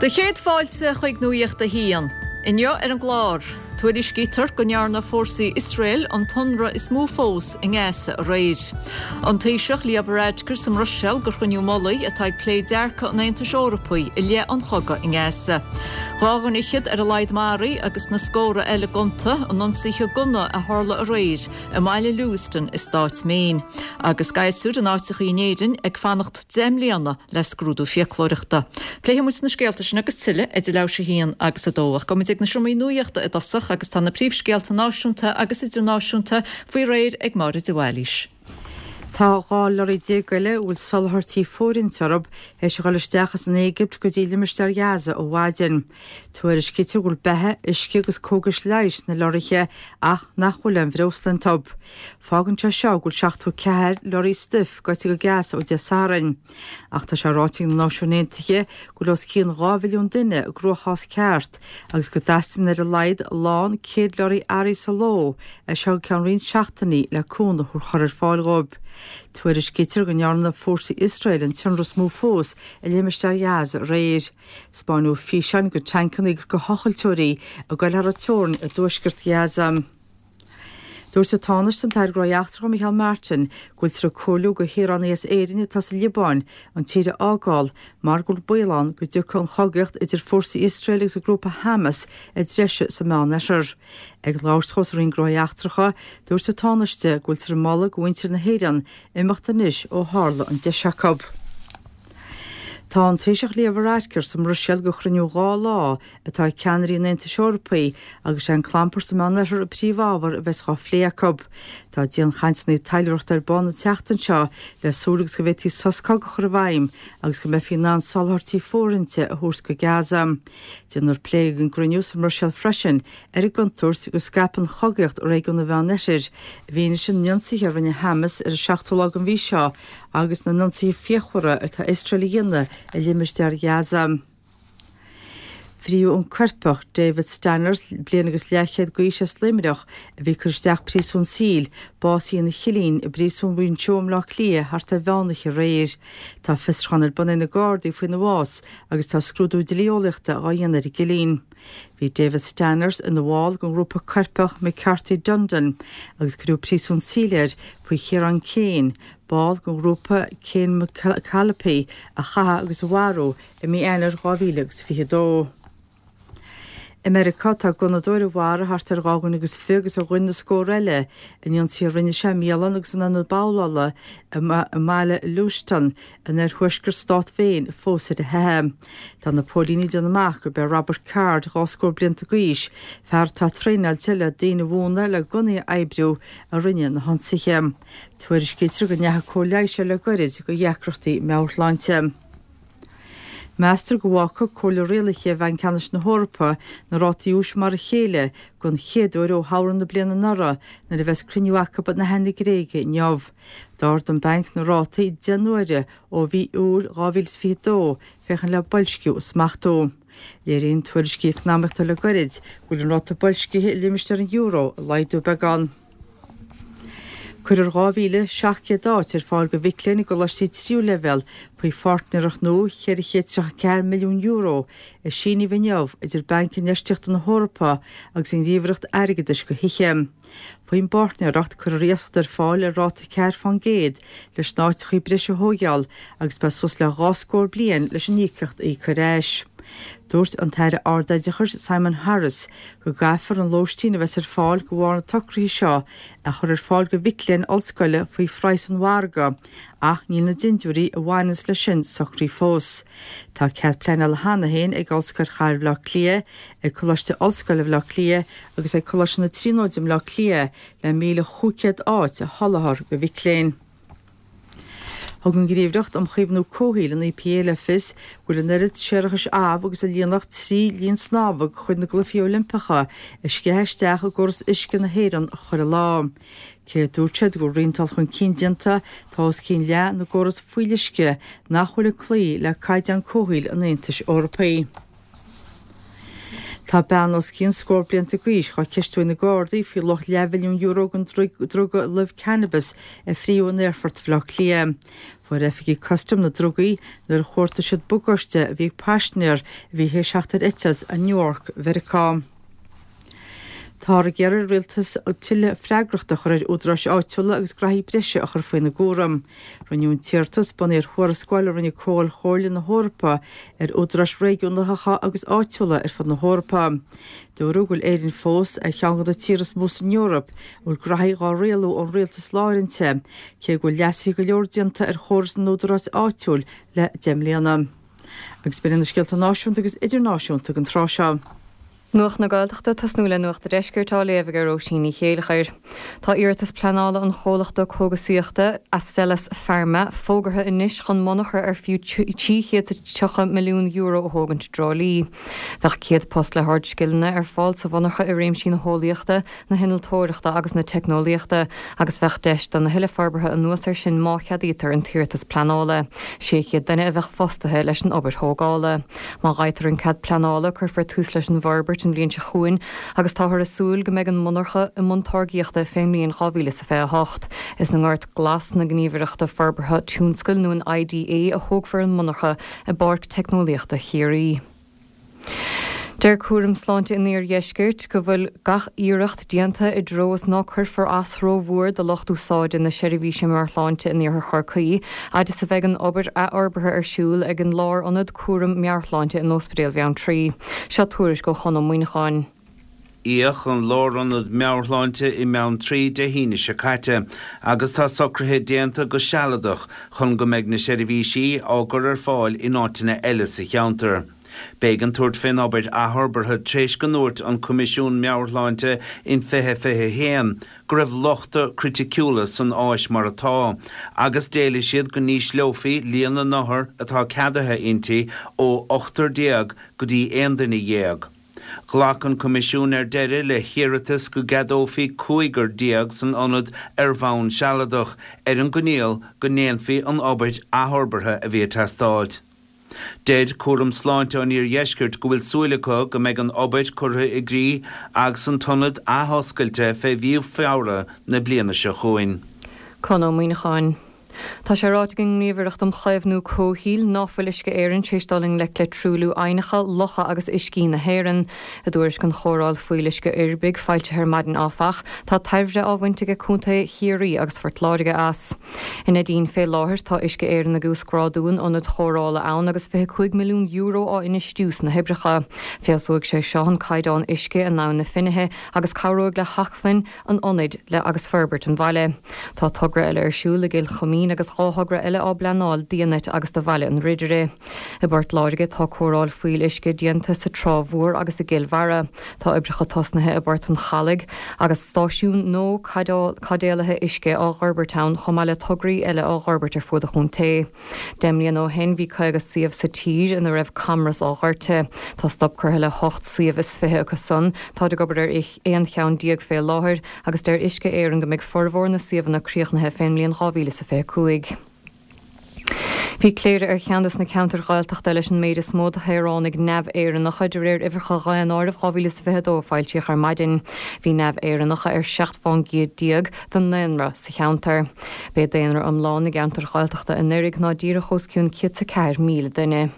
Do chéad fáilte chuig Nuacht a hAon. Inniu ar an gclár, tuairiscítear go ndearna fórsaí Iosrael an t-ionradh is mó fós i nGaza aréir. An Taoiseach Leo Varadkar sa mBruiséil do chruinniú mullaigh atá ag plé dearcadh an Aontais Eorpaigh i leith an chogaidh i nGaza. 2 dhuine fhichead ar a laghad maraithe agus na scórtha eile gonta in ionsaithe gunna a tharla aréir i mbaile Lewiston i stát Maine. Agus gasúir in áiteachaí in Éirinn ag fanacht 10 mbliana le scrúdú fiaclóireachta. Pléifidh muid na scéalta sin agus tuilleadh idir leathuair tar éis a haon agus a dó. Ach gabhfaidh muid ag na seomraí nuachta i dtosach agus tá na príomhscéalta náisiúnta agus idirnáisiúnta faoi réir ag Máire de Bhailís. Tá 12 leoraí eile a bhfuil soláthairtí fóirithinte orthu théis a dhul isteach as an Éigipt go dtí limistéar Ghaza ó mhaidin. Tuairiscítear go bhfuil beatha, uisce agus cógais leighis sna leoraithe ach nach bhfuil aon bhreosla iontu. Fágann sé seo go bhfuil 74 leoraí stuif gaibhte go Gaza ó Dé Sathairn. Ach tá sé ráite ag na Náisiúin Aontaithe go bhfuil os cionn 2 mhilliún duine i gcruachás ceart agus go dteastaíonn ar a laghad lán 100 leoraí earraí sa ló as seo go ceann roinnt seachtainí le cúnamh a chur ar fáil dhóibh. Tuairiscítear go ndearna fórsaí Iosrael an t-ionradh is mó fós i limistéar Ghaza aréir. Spáineadh físeáin de tancanna agus de thochailteoirí ag goil thar an teorainn i dtuaisceart Ghaza. Dúirt an Tánaiste an tAire Gnóthaí Eachtracha Micheál Martin go bhfuiltear ag comhairliú do shaoránaigh as Éirinn atá sa Liobáin an tír a fhágáil mar go bhfuil baol ann go dtiocfaidh an chogaíocht idir fórsaí Iosrael agus an grúpa Hamas i dtreise sa Meánoirthear. Ag labhairt dhó sa Roinn Gnóthaí Eachtracha, dúirt an Tánaiste go bhfuiltear ag moladh do mhuintir na hÉireann imeacht anois ó tharla an deis acu. Tá an Taoiseach Leo Varadkar sa mBruiséil do chruinniú 2 lá atá ag ceannairí an Aontais Eorpaigh agus sé an clampar sa Meánoirthear an príomhábhar a bheas dhá phlé acu. Tá dianchainteanna taidhleoireachta ar bun an tseachtain seo le súil agus go bhféadfaí sos cogaidh a chur i bhfeidhm agus go mbeifí in ann soláthairtí fóirithinte a thabhairt go Gaza. Déanfar plé ag an gcruinniú sa mBruiséil freisin ar an gcontúirt go scaipfidh an chogaíocht i réigiún an Mheánoirthir i bhfianaise na n-ionsaithe a rinne Hamas ar an seachtú lá den mhí seo agus na n-ionsaithe fíochmhara atá Iosrael a dhéanamh i limistéar Ghaza. Fríodh an coirpeach, David Stanners, bliain agus leathchéad d'aois as Luimneach, a bhí ag cur isteach príosún saoil, básaithe ina chillín i bPríosún Mhuinseo i mBleá Cliath thart ar mheánoíche aréir. Tá fiosrúchán ar bun ag na Gardaí faoina bhás agus tá scrúdú dlí-eolaíochta á dhéanamh ar an gcillín. Bhí David Stanners ina bhall den ghrúpa coirpeach McCarthy Dundon agus cuireadh príosún saoil air faoi Chiarán Kane, ball den ghrúpa Kane McAlpey a chaitheamh agus a mharú i mí Eanáir 2022. I Meiriceá, tá gunnadóir a mharaigh thart ar 2 dhuine agus fiche agus a ghoin na scórtha eile in ionsaí a rinne sé i mbialann agus in ionad babhlála i mbaile Lewiston in oirthuaisceart stát Mhaine fós ar a theitheadh. Tá na póilíní ag déanamh amach gurb é Robert Card, 2 scór blianta d'aois, fear atá traenáilte le daoine a mhúineadh le gunnaí a oibriú, a rinne na hionsaithe. Tuairiscítear go ndeachaigh cóir leighis air le goirid do dheacrachtaí meabhairshláinte. Meastar go bhfágfaidh Comhairle Rialaithe Bhanc Ceannais na hEorpa na rátaí úis mar a chéile don chéad uair ó shamhradh na bliana anuraidh nuair a bheas cruinniú acu in Aithin na Gréige inniu. D'ardaigh an banc na rátaí 10 n-uaire ó mhí Iúil 2022 féachaint le boilsciú a smachtú. Léiríonn tuairiscí eacnamaíochta le goirid go bhfuil an ráta boilscithe i limistéar an euro ag laghdú beagán. Cuirfear 2,700 áit ar fáil do mhic léinn i gcoláistí tríú leibhéal faoi pháirtnéireacht nua €434 milliún a síníodh inniu idir Banc Infheistíochta na hEorpa agus an Ghníomhaireacht Airgeadais do Thithe. Faoin bpáirtnéireacht, cuirfear iasacht ar fáil ar ráta 4% leis na áiteachaí breise a thóigeáil agus beidh suas le dhá scór bliain leis an íocaíocht a íoc ar ais. Dúirt an tAire Ardoideachais Simon Harris go gcaithfear an lóistín a bheas ar fáil de bharr na socruithe seo a chur ar fáil do mhic léinn ollscoile faoi phraghas an mhargaidh ach níl na dintiúirí a bhaineanns leis sin socraithe fós. Tá cead pleanála cheana féin ag Ollscoil Chathair Bhaile Átha Cliath, ag Coláiste Ollscoile Bhaile Átha Cliath agus ag Coláiste na Tríonóide i mBleá Cliath le 1,500 áit a sholáthar do mhic léinn. Thug an Ghníomhaireacht um Chaomhnú Comhshaoil, an EPA, le fios go bhfuil an oiread séarachais amh agus a líonfadh 3 linn snámha de chuid na gCluichí Oilimpeacha ag sceitheadh isteach i gcóras uisce na hÉireann chuile lá. Cé a dúirt siad go bhfuil roinnt dul chun cinn déanta, tá os cionn leath na gcóras fuíolluisce nach bhfuil ag cloí le caighdeáin comhshaoil an Aontais Eorpaigh. Tá bean os cionn scór blianta d'aois dhá ceistiú ag na Gardaí faoi luach leathmhilliún euro den druga luibh cannabis a fríodh in aerfort Bhaile Átha Cliath. Fuair oifigigh custaim na drugaí nuair a chuartaigh siad bagáiste a bhí ag paisinéir a bhí théis theacht ar eitilt ó Newark, Mheiriceá. Táthar ag iarraidh ar an rialtas tuilleadh freagrachta a chur ar údaráis áitiúla agus graithí breise a chur faoina gcúram. Rinneadh an t-iarratas bunaithe ar thuarascáil a rinne Comhdháil Chomhairle na hEorpa ar údaráis réigiúnacha agus áitiúla ar fud na hEorpa. Dúradh go bhfuil Éirinn fós ar cheann de na tíortha is mó san Eoraip a bhfuil graithí dhá rialú ón rialtas láir inti, cé go bhfuil leasuithe go leor déanta ar chóras na n-údarás áitiúil le 10 mbliana. Agus b'in iad na scéalta náisiúnta agus idirnáisiúnta don tráth seo. Nuacht na Gaeltachta, tosnú le Nuacht a' Deiscirt á léamh ag Róisín Ní Chéilleachair. Tá iarratas pleanála an chomhlachta cógasaíochta, Astellas Pharma, fógartha anois chun monarcha ar fiú €330 milliún a thógaint i dTrá Lí. Bheadh 100 post le hardscileanna ar fáil sa mhonarcha i réimsí na heolaíochta, na hinnealtóireachta agus na teicneolaíochta agus bheadh deis do a thuilleadh forbartha anuas air sin má cheadaítear an t-iarratas pleanála. 600 duine a bheadh fostaithe leis an obair thógála. Má fhaightear an cead pleanála, cuirfear tús leis an bhforbairt an bhliain seo chugainn agus táthar ag súil go mbeidh an mhonarcha i mbun táirgíochta fén mbliain 2028. Is i nGort Glas na Gníomhaireachta Forbartha Tionscail nó an IDA a thógfar an mhonarcha i bPáirc Teicneolaíochta Chiarraí. Deir Cúram Sláinte an Iardheiscirt go bhfuil gach iarracht déanta i dtreo is ná cuirfear as rómhór do lucht úsáide na seirbhíse meabhairshláinte in iarthar Chorcaí, fhad is a bheidh an obair athfhorbartha ar siúl ag an Lárionad Cúram Meabhairshláinte in Ospidéal Bheanntraí. Seo tuairisc ó Chon Ó Muíneacháin. íodh an Lárionad Meabhairshláinte i mBeanntraí Dé hAoine seo caite agus tá socruithe déanta go sealadach chun go mbeidh na seirbhísí á gcur ar fáil in áiteanna eile sa cheantar. B'éigean tabhairt fén obair athfhorbartha tréis go ndúirt an Coimisiún Meabhairshláinte in 2021 go raibh lochta criticiúla san áis mar atá agus d'éiligh siad go n-ísleofaí líon na n-othar atá ceadaithe inti ó ochtar déag go dtí aon duine dhéag. Ghlac an Coimisiún ar deireadh le hiarratas go gceadófaí cúigear san ionad ar bhonn sealadach, ar an gcoinníoll go ndéanfaí an obair athfhorbartha a bhí ag teastáilt. Deir Cúram Sláinte an Iardheiscirt go bhfuil súil acu go mbeidh an obair curtha i gcrích agus an t-ionad athoscailte fé mhí Feabhra na bliana seo chugainn. Conn Ó Muíneacháin. Tá sé ráite ag an nGníomhaireacht um Chaomhnú Comhshaoil ná fuil Uisce Éireann tar éis dul i ngleic le truailliú aibhneacha, locha agus uiscí na hÉireann. I dtuairisc an chóireáil fuíolluisce uirbigh, foilsithe ar maidin áfach, tá tairbhe á bhaint aige contaetha Chiarraí agus Phort Láirge as. I Neidín fé láthair tá Uisce Éireann ag uasghrádú an ionaid chóireála ann agus €25 milliún á infheistiú sna hoibreacha. Feabhsóidh sé seo an caighdeán uisce in Abhainn na Finithe agus cabhróidh le hacmhainn an ionaid le agus forbairt an bhaile. Tá togra eile ar siúl i gCill Choimín agus 2 thogra eile á bpleanáil d'Fhianait agus do Bhaile an Ridire. I bPort Láirge tá cóireáil fuíoll-uisce déanta sa Trá Mhór agus i gCill Bharra. Tá oibreacha tosnaithe i bPort an Chalaidh agus stáisiún nua caidéalaithe uisce á dh'fhorbairt ann chomh maith le tograí eile á dh'fhorbairt ar fuaid an chontae. 10 mbliana ó shin bhí 50 suíomh sa tír ina raibh camras á dhoirteadh. Tá stop curtha le hocht suíomh is 20 acu san. Táid ag obair ar 11 cheann fé láthair agus deir Uisce Éireann go mbeidh formhór na suíomhanna críochnaithe fén mbliain 2025. Bhí Cléire ar cheann des na ceantair Ghaeltachta leis an méid is mó de shaoránaigh neamh-Éireannacha, de réir uimhreacha Dhaonáireamh 2022 a foilsíodh ar maidin. Bhí neamh-Éireannacha ar 17 fán gcéad den ndaonra sa cheantar. B'é daonra iomlán na gceantar Ghaeltachta anuraidh ná díreach os cionn 104,000 duine.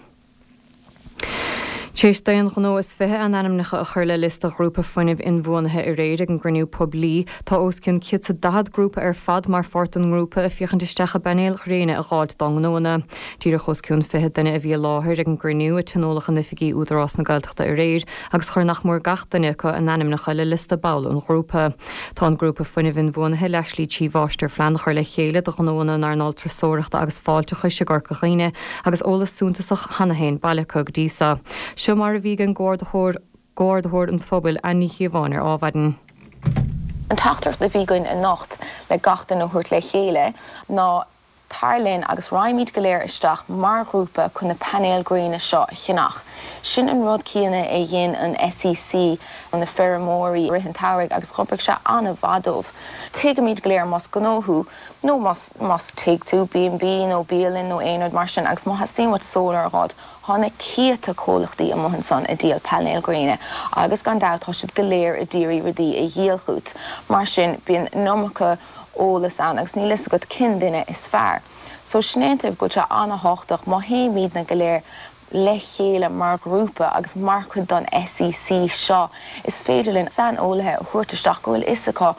Tar éis d'aon ghnó is 20 a n-ainmneacha a chur le liosta Ghrúpa Fuinnimh Inbhuanaithe aréir ag an gcruinniú poiblí, tá os cionn 140 grúpa ar fad mar pháirt den ngrúpa ag féachaint isteach i bpainéil ghréine a dh'fháilt dá ngnóanna. Díreach os cionn 20 duine a bhí i láthair ag an gcruinniú a tionóladh in oifigí Údarás na Gaeltachta aréir agus chuir nach mór gach duine acu a n-ainmneacha le liosta ball an ghrúpa. Tá an Grúpa Fuinnimh Inbhuanaithe le slí 3 mháistirphlean a chur le chéile do ghnóanna in earnáil turasóireachta agus fáilteachais i gCorca Dhuibhne agus eolas suntasach cheana féin bailithe acu go dtí so. Seo mar a bhí ag an gComhordaitheoir Comhordaitheoir an Phobail, Anne Ní Chíobháin ar Adhmhaidin. An teachtaireacht a bhí againn anocht le gach duine a thabhairt le chéile ná Tar linn agus raghaimid go léir isteach mar ghrúpa chun na painéil ghréine seo a cheannach. Sin an rud céanna a dhein an SEC na feirmeoirí i rith an tsamhraidh agus dh'oibrigh sé an-mhaith dóibh. Tuigimid go léir más gnó thú nó más más tigh tú, B&B nó bialann nó aon rud mar sin agus má theastaíonn uait solar a dh'fháilt, thá na céadta comhlachtaí amuigh ansan a díol painéil ghréine agus gan dabht tá siad go léir a d'iarraidh rudaí a dhíol chút. Mar sin bíonn an iomarca eolas ann agus níl fhios agat cén duine is fearr. So sin é an taobh go bhfuil sé an-thábhachtach má théimidne go léir le chéile mar ghrúpa agus mar chuid don SEC seo, is féidir linn saineolaithe a thabhairt isteach go bhfuil fhios acu,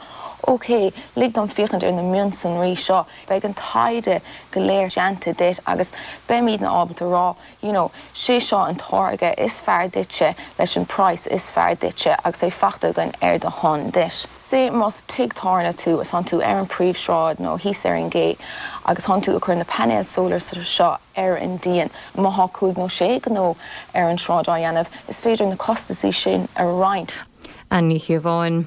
ok, lig dom féachaint ar na mionsonraí seo, beidh an taighde go léir déanta duit agus beimidne ábalta rá, you know, sé seo an táirge is fearr duitse leis an praghas is fearr duitse agus é faighte againn ar do shon duit. Say más tigh tábhairne tú is tánn tú ar an príomhshráid nó thíos ar an gcé agus tánn tú ag cur na painéil solar seo ar an díon, má thá cúig nó sé gnó ar an sráid á dhéanamh, is féidir na costasaí sin a roinnt. Ann Ní Chíobháin.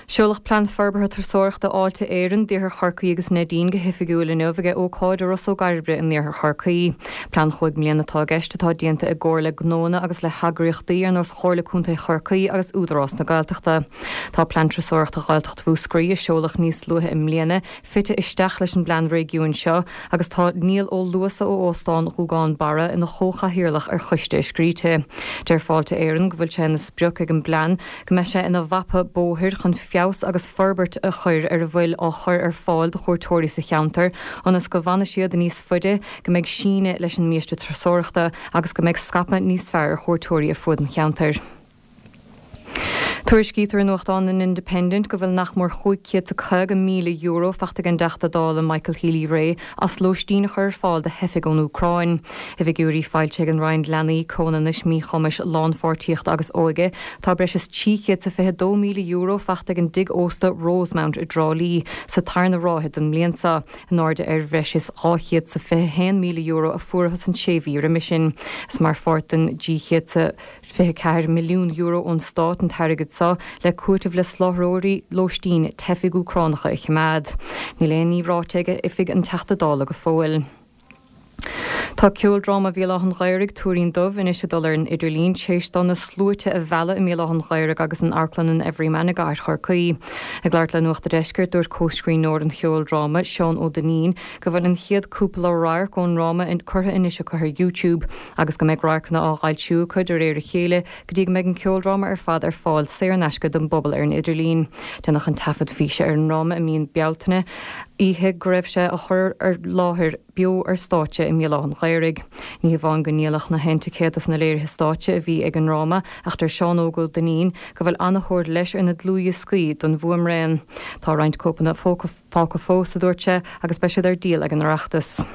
Seoladh Plean Forbartha Turasóireachta Fháilte Éireann d'Iarthar Chorcaí agus Neidín go hoifigiúil inniu ag ócáid i Ros Ó gCairbre in iarthar Chorcaí. Plean chúig mbliana atá i gceist atá déanta i gcomhar le gnóanna agus le heagraíochtaí ar nós Chomhairle Contae Chorcaí agus Údarás na Gaeltachta. Tá Plean Turasóireachta Ghaeltacht Mhúscraí, a seoladh níos luaithe i mbliana, fite isteach leis an bplean réigiúin seo agus tá Niall Ó Luasa ó Óstán Ghúgán Barra ina chomhchathaoirleach ar choiste a scríte. Deir Fáilte Éireann go bhfuil sé ina sprioc ag an bplean go mbeidh sé ina mhapa bóthair chun feabhas agus forbairt a chur ar a bhfuil á chur ar fáil do chuairteoirí sa cheantar ionas go bhfanfaidh siad níos faide, go mbeidh síneadh leis an mbiaiste turasóireachta agus go mbeidh scaipeadh níos fearr ar chuairteoirí ar fuaid an cheantair. Tuairiscítear i nuachtán an Independent go bhfuil nach mór €550,000 faighte ag an dTeachta Dála Michael Healy-Rae as lóistín a chur ar fáil do theifigh ón Úcráin. I bhfigiúirí foilsithe ag an Roinn Leanaí, Comhionannais, Míchumais, Lánpháirtíochta agus Óige, tá breis is €322,000 faighte ag an dtigh ósta Rosemount i dTrá Lí sa tarna ráithe den mbliain seo, in airde ar bhreis is €221,000 a fuarthas an sé mhí roimhe sin. Is mar pháirt den €24 milliún ón stát an t-airgead seo le cúiteamh le soláthróirí lóistín teifigh Úcránacha a choimeád. Níl aon ní ráite ag oifig an Teachta Dála go fóill. Tá ceoldráma Bhéal Átha an Ghaorthaidh, Tuairín Dubh, anois ag dul ar an idirlíon tar éis dó na sluaite a mhealladh i mBéal Átha an Ghaorthaidh agus in Amharclann an Everyman i gcathair Chorcaí. Ag labhairt le Nuacht a' Deiscirt, dúirt comhscríbhneoir an cheoldráma, Seán Ó Duinnín, go bhfuil an chéad cúpla radharc ón ndráma curtha anois acu ar YouTube. agus go mbeidh radharcanna á bhfoilsiú acu de réir a chéile go dtí go mbeidh an ceoldráma ar fad ar fáil saor in aisce don bpobal ar an idirlíon. Déanadh an taifead físe ar an ndráma i mí Bealtaine, oíche go raibh sé á chur ar láthair beo ar stáitse i mBéal Átha an Ghaorthaidh. Ní hamháin go ndíoladh na haon ticéad dos na léirithe stáitse a bhí ag an ndráma ach deir Seán Óg Ó Duinnín go bhfuil ana-thóir leis ar na dlúthdhioscaí don bhfuaimrian. Tá roinnt cóipeanna fágtha fós, a dúirt sé, agus beidh siad ar díol ag an Oireachtas.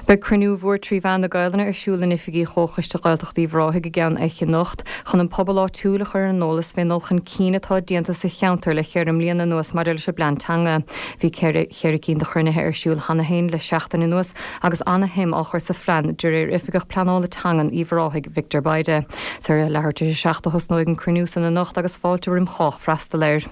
Beidh cruinniú mhór 3 mheán na Gaelainne ar siúl in oifigí Chomhchoiste Ghaeltacht Uíbh Ráthaigh i gCeann Eich anocht chun an pobal áitiúil a chur ar an eolas fén dul chun cinn atá déanta sa cheantar le cheithre mbliana anuas maidir leis an bplean teanga. Bhí cheithre cinn de chruinnithe ar siúl cheana féin le seachtain anuas agus ana-shuim á chur sa phlean de réir Oifigeach Pleanála Teangan Uíbh Ráthaigh, Victor Bayda. Is ar a leathuair tar éis a 7 a thosnóidh an cruinniú san anocht agus fáilte roim chách freastal air.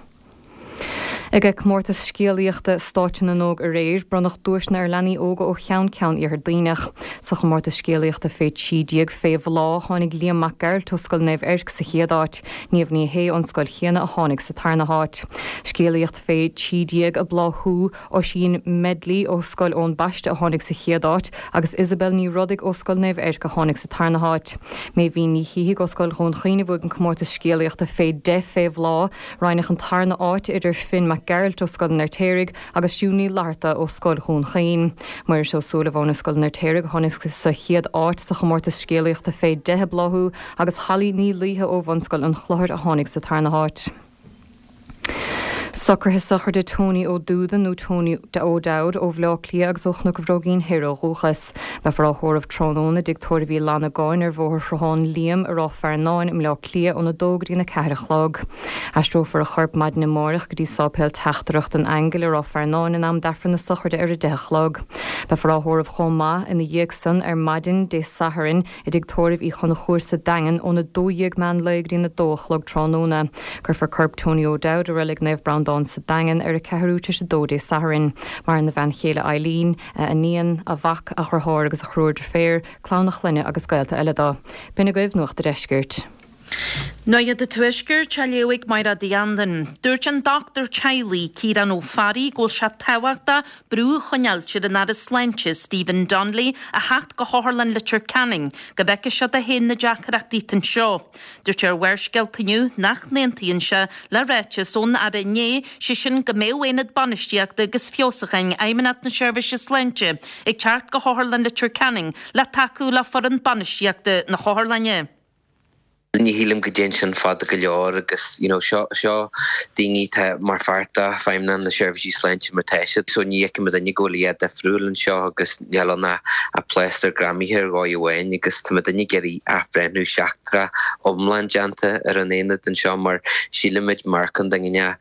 Ag comórtas scéalaíochta Stáitse na nÓg aréir, bronnadh duaiseanna ar leanaí óga ó cheann ceann Iarthar Duibhneach. Sa chomórtas scéalaíochta fé 13, fé Bhláth, tháinig Liam Mac Gearailt ó Scoil Naomh Eirc sa chéad áit. Niamh Ní Shé ón scoil chéanna a tháinig sa tarna háit. Scéalaíocht fé 13, ag Bláthú, Oisín Medley ó Scoil Eoin Baiste a tháinig sa chéad áit agus Isabel Ní Rodaigh ó Scoil Naomh Eirc a tháinig sa tarna háit. Méibhín Ní Shíthigh ó Scoil Dhún Chaoin a bhuaigh an comórtas scéalaíochta fé 10, fé Bhláth. Roinneadh an tarna áit idir Finn Mac Gearailt ó Scoil an Fheirtéaraigh agus Siún Ní Fhlatharta ó Scoil Dhún Chaoin. Muiris Ó Súilleabháin ó Scoil an Fheirtéaraigh a tháinig sa chéad áit sa chomórtas scéalaíochta fé 10 ag Bláthú agus Holly Ní Laoithe ó Bhunscoil an Chlochair a tháinig sa tarna háit. Socruithe sochraide Tony Ó Dúda nó Tony O'Dowd ó Bhleá Cliath agus ó Chnoc an Bhróigín Thoir ó dhúchas. Beifear á thórramh tráthnóna i dTigh Tórraimh Uí Fhlannagáin ar Bhóthar Shruthán Liam i Ráth Fearnáin i mBleá Cliath óna dó go dtí an 4 a chlog. Aistreofar a chorp maidin amáireach go dtí Sáipéal Teachtaireacht an Aingil i Ráth Fearnáin in am d'Aifreann na sochraide ar a 10 a chlog. Beifear á thórramh chomh maith ina dhiaidh san ar maidin Dé Sathairn i dTigh Tórraimh Uí Chonchúir sa Daingean óna 12 meán lae go dtí an 2 a chlog tráthnóna. Cuirfear corp Tony O'Dowd i Reilig Naomh Breandán sa Daingean ar a ceathrú tar éis a dó Dé Sathairn. Maireann a bhean chéile Eileen, a iníon, a mhac, a dheartháir agus a thriúr deirféar, clann a chlainne agus gaolta eile dó. B'in agaibh Nuacht a' Deiscirt. Nuacht an Tuaiscirt á léamh ag Máire Uí Andain. Dúirt an dochtúir teaghlaigh, Ciarán Ó Fearraigh, go bhfuil sé tábhachtach brú a choinneáilt ar an Aire Sláinte, Stephen Donnelly, a theacht go hOtharlann Leitir Ceanainn go bhfeicfidh sé dó féin na deacrachtaí atá anseo. Dúirt sé ar Bharrscéalta inniu nach n-aontaíonn sé le ráiteas ón Aire inné, sé sin go mbeadh Aonad Bainistíochta agus Feabhsúcháin Fheidhmeannacht na Seirbhíse Sláinte ag teacht go hOtharlann Leitir Ceanainn le tacú le foireann bainistíochta na hotharlainne. Ní shílim go dtéann sin fada go leor agus you know seo seo daoine atá mar pháirt de Feidhmeannacht na Seirbhísí Sláinte mar tá siad so ní fheicim duine go bhfuil a dhath difriúil anseo agus níl ann ach plástar greamaithe ar dhóigh amháin agus tá muidinne ag iarraidh athbhreithniú seachtrach iomlán déanta ar an aonad anseo mar sílimid mar chontae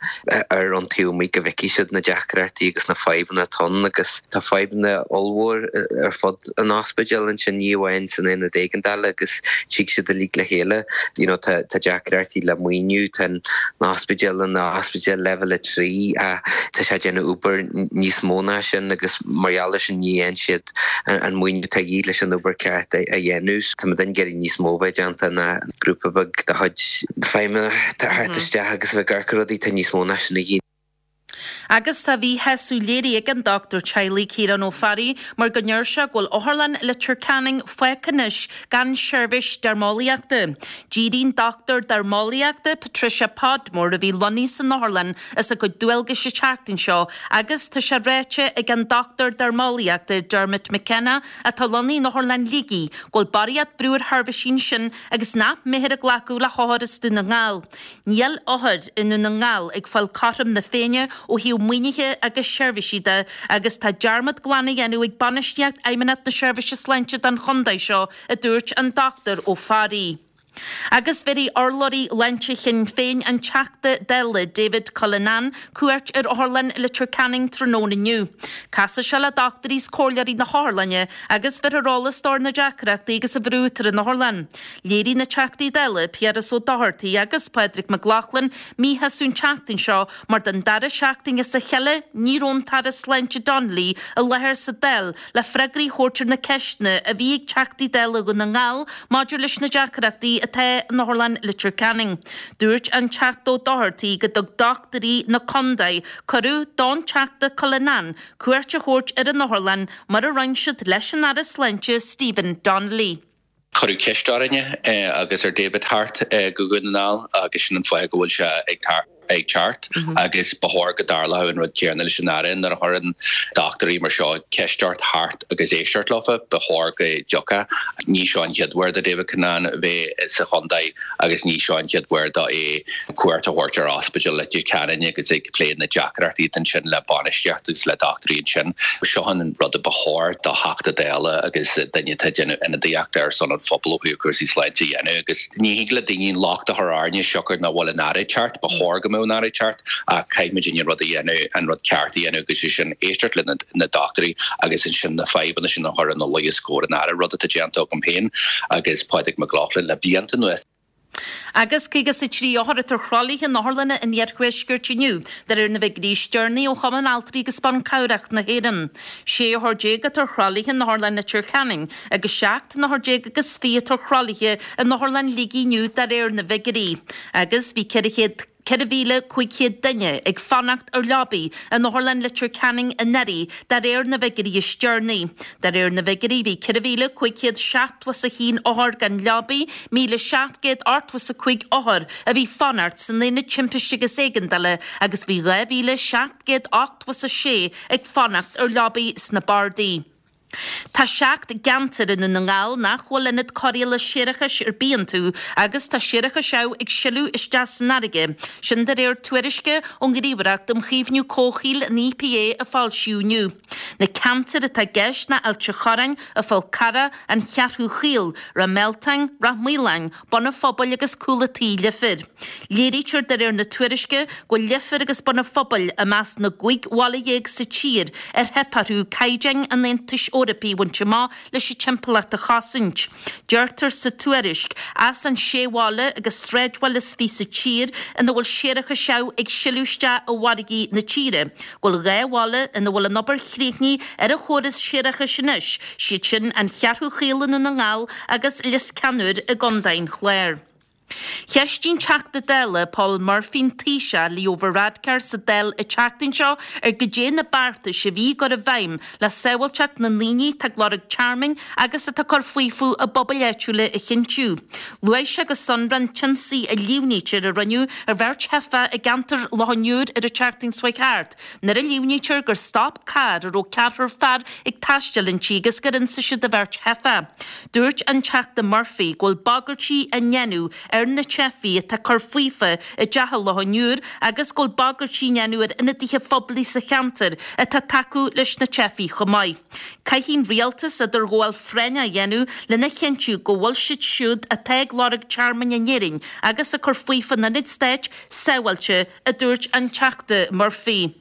ar an taobh amuigh go bhfeicfidh siad na deacrachtaí agus na fadhbanna atá ann agus tá fadhbanna ollmhór ar fud an ospidéil ansin, ní amháin san aonad éigeandála agus tig siad uilig le chéile. You know tá tá deacrachtaí le maoiniú, tá an ospidéal ina ospidéal leibhéal 3 ach tá sé ag déanamh obair níos mó ná sin agus mar gheall ar sin ní fhaigheann siad an maoiniú atá de dhíth leis an obair ceart a dhéanamh. Tá muidinne ag iarraidh níos mó a bheith déanta ná grúpa beag de chuid feidhmeannach a theacht isteach agus a bheith ag amharc ar rudaí, tá níos mó ná sin a dhíth. Agus tá míshásamh léirithe ag an dochtúir teaghlaigh Ciarán Ó Fearraigh mar go ndeir sé go bhfuil Otharlann Leitir Ceanainn fágtha anois gan seirbhís deirmeolaíochta. D'éirigh an dochtúir deirmeolaíochta Patricia Podmore a bhí lonnaithe san otharlann as a cuid dualgais an tseachtain seo agus tá sé ráite ag an dochtúir deirmeolaíochta Dermot McKenna atá lonnaithe in Otharlann Shligigh go bhfuil barraíocht brú ar sheirbhísí ansin agus nach mbeifear ag glacadh le hothair as Dún na nGall. Níl othair i nDún na nGall ag fáil cothrom na Féinne ó thaobh maoinithe agus seirbhísí de agus tá dearmad glan á dhéanamh ag bainistíocht Fheidhmeannacht na Seirbhíse Sláinte den chontae seo, a dúirt an Dr Ó Fearraigh. Agus bhéarfaidh urlabhraí shláinte Shinn Féin, an Teachta Dála David Cullinane, cuairt ar Otharlann Leitir Ceanainn tráthnóna inniu. Casfaidh sé le dochtúirí is comhairleoirí na hotharlainne agus bhéarfar eolas dó ar na deacrachtaí agus an bhrú atá ar an otharlann. Léirigh na Teachtaí Dála, Piaras Ó Dochartaigh agus Pádraig Mac Lochlainn, míshásamh an tseachtain seo mar don dara seachtain as a chéile ní raibh an tAire Sláinte Donnelly i láthair sa Dáil le freagraí a thabhairt ar na ceisteanna a bhí ag Teachtaí Dála Dhún na nGall maidir leis na deacrachtaí atá in Otharlann Leitir Ceanainn. Dúirt an Teachta Ó Dochartaigh go dtug dochtúirí na contae cuireadh don Teachta Cullinane cuairt a thabhairt ar an otharlann mar a roinn siad leis an Aire Sláinte Stephen Donnelly. Cuireadh ceist orainne agus ar David theacht go Dhún na nGall agus sin an fáth go bhfuil sé ag teacht agus ba chóir go dtarlódh an rud céanna leis an Aire. Nuair a chuireann dochtúirí mar seo ceist ort theacht agus éisteacht leofa, ba chóir go dtiocfá. Ní seo an chéad uair do David Cullinane bheith sa chontae agus ní seo an chéad uair dó é cuairt a thabhairt ar Ospidéal Leitir Ceanainn agus ag plé na deacrachtaí atá ansin le bainistíocht agus le dochtúirí ansin. Seo an rud a ba chóir do Theachta Dála agus duine atá ag déanamh ionadaíochta ar son an phobail ó thaobh cúrsaí sláinte a dhéanamh agus ní thig le daoine an locht a chur orainne siocair nach bhfuil an Aire ag teacht, ba chóir go mbeadh an Aire ag teacht ach caithfidh muidinne rud a dhéanamh, an rud ceart a dhéanamh agus é sin éisteacht le na dochtúirí agus ansin na fadhbanna sin a chur ina luí os comhair an Aire, rud atá déanta agam féin agus Pádraig Mac Lochlainn le blianta anuas. Agus 53 othar atá ar throlaithe in otharlanna an iarthuaiscirt inniu, de réir na bhfigiúirí is deireanaí ó Chumann Altraí agus Ban Cabhrach na hÉireann. 16 othar atá ar throlaithe in Otharlann Leitir Ceanainn agus 17 n-othar agus 20 atá ar throlaithe in Otharlann Shligigh inniu de réir na bhfigiúirí. Agus bhí 400. 4,500 duine ag fanacht ar leabaí in Otharlann Leitir Ceanainn anuraidh, de réir na bhfigiúirí is deireanaí. De réir na bhfigiúirí, bhí 4,571 othar gan leabaí, 1,785 othar a bhí fanacht san Aonad Timpiste agus Éigeandála agus bhí 2,786 ag fanacht ar leabaí sna bardaí. Tá 7 gceantar i nDún na nGall nach bhfuil ionad cóireála séarachais ar bith iontu agus tá séarachas amh ag sileadh isteach san fharraige, sin de réir tuairisce ón nGníomhaireacht um Chaomhnú Comhshaoil, an EPA, a foilsíodh inniu. Na ceantair atá i gceist ná Ailt a' Chorráin, An Fál Carrach, An Cheathrú Chaol, Ráth Mealtain, Ráth Maoláin, Bun an Phobail agus Cúl a' Tí, Leifear. Léirítear de réir na tuairisce go bhfuil Leifear agus Bun an Phobail i measc na gcúig bhaile dhéag sa tír ar theip orthu caighdeáin an Aontais Eorpaigh a bhaint amach leis an timpeallacht a chosaint. Deirtear sa tuairisc, as an sé bhaile agus sráidbhaile is 20 sa tír ina bhfuil séarachas amh ag sileadh isteach i bhfarraigí na tíre, go bhfuil 2 bhaile ina bhfuil an obair chríochnaithe ar an chóras séarachais anois, siad sin An Cheathrú Chaol i nDún na nGall agus Lios Ceannúir i gContae an Chláir. Cheistigh an Teachta Dála Paul Murphy an Taoiseach Leo Varadkar sa Dáil an tseachtain seo ar goidé na beartais a bhí á gcur i bhfeidhm le sábháilteacht na ndaoine atá ag lorg tearmainn agus atá ag cur faofa i bpobail áitiúla a chinntiú. Luaigh sé go sonrath an t-ionsaí a líomhnaítear a rinneadh ar bheirt theifeach i gceantar Loch an Iúir ar an tseachtain seo chuaigh thart, nuair a líomhnaítear gur stop carr a raibh ceathrar fear ag taisteal inti agus gur ionsaigh siad an bheirt theifeach. Dúirt an Teachta Murphy go bhfuil bagairtí á ndéanamh ar na teifigh atá ag cur faofa i dTeach Loch an Iúir agus go bhfuil bagairtí á ndéanamh ar ionadaithe phoiblí sa cheantar atá ag tacú leis na teifigh chomh maith. Caithfidh an rialtas idirghabháil phráinneach a dhéanamh lena chinntiú go bhfuil siad siúd atá ag lorg tearmainn in Éirinn agus ag cur faofa in ionaid stáit sábháilte, a dúirt an Teachta Murphy.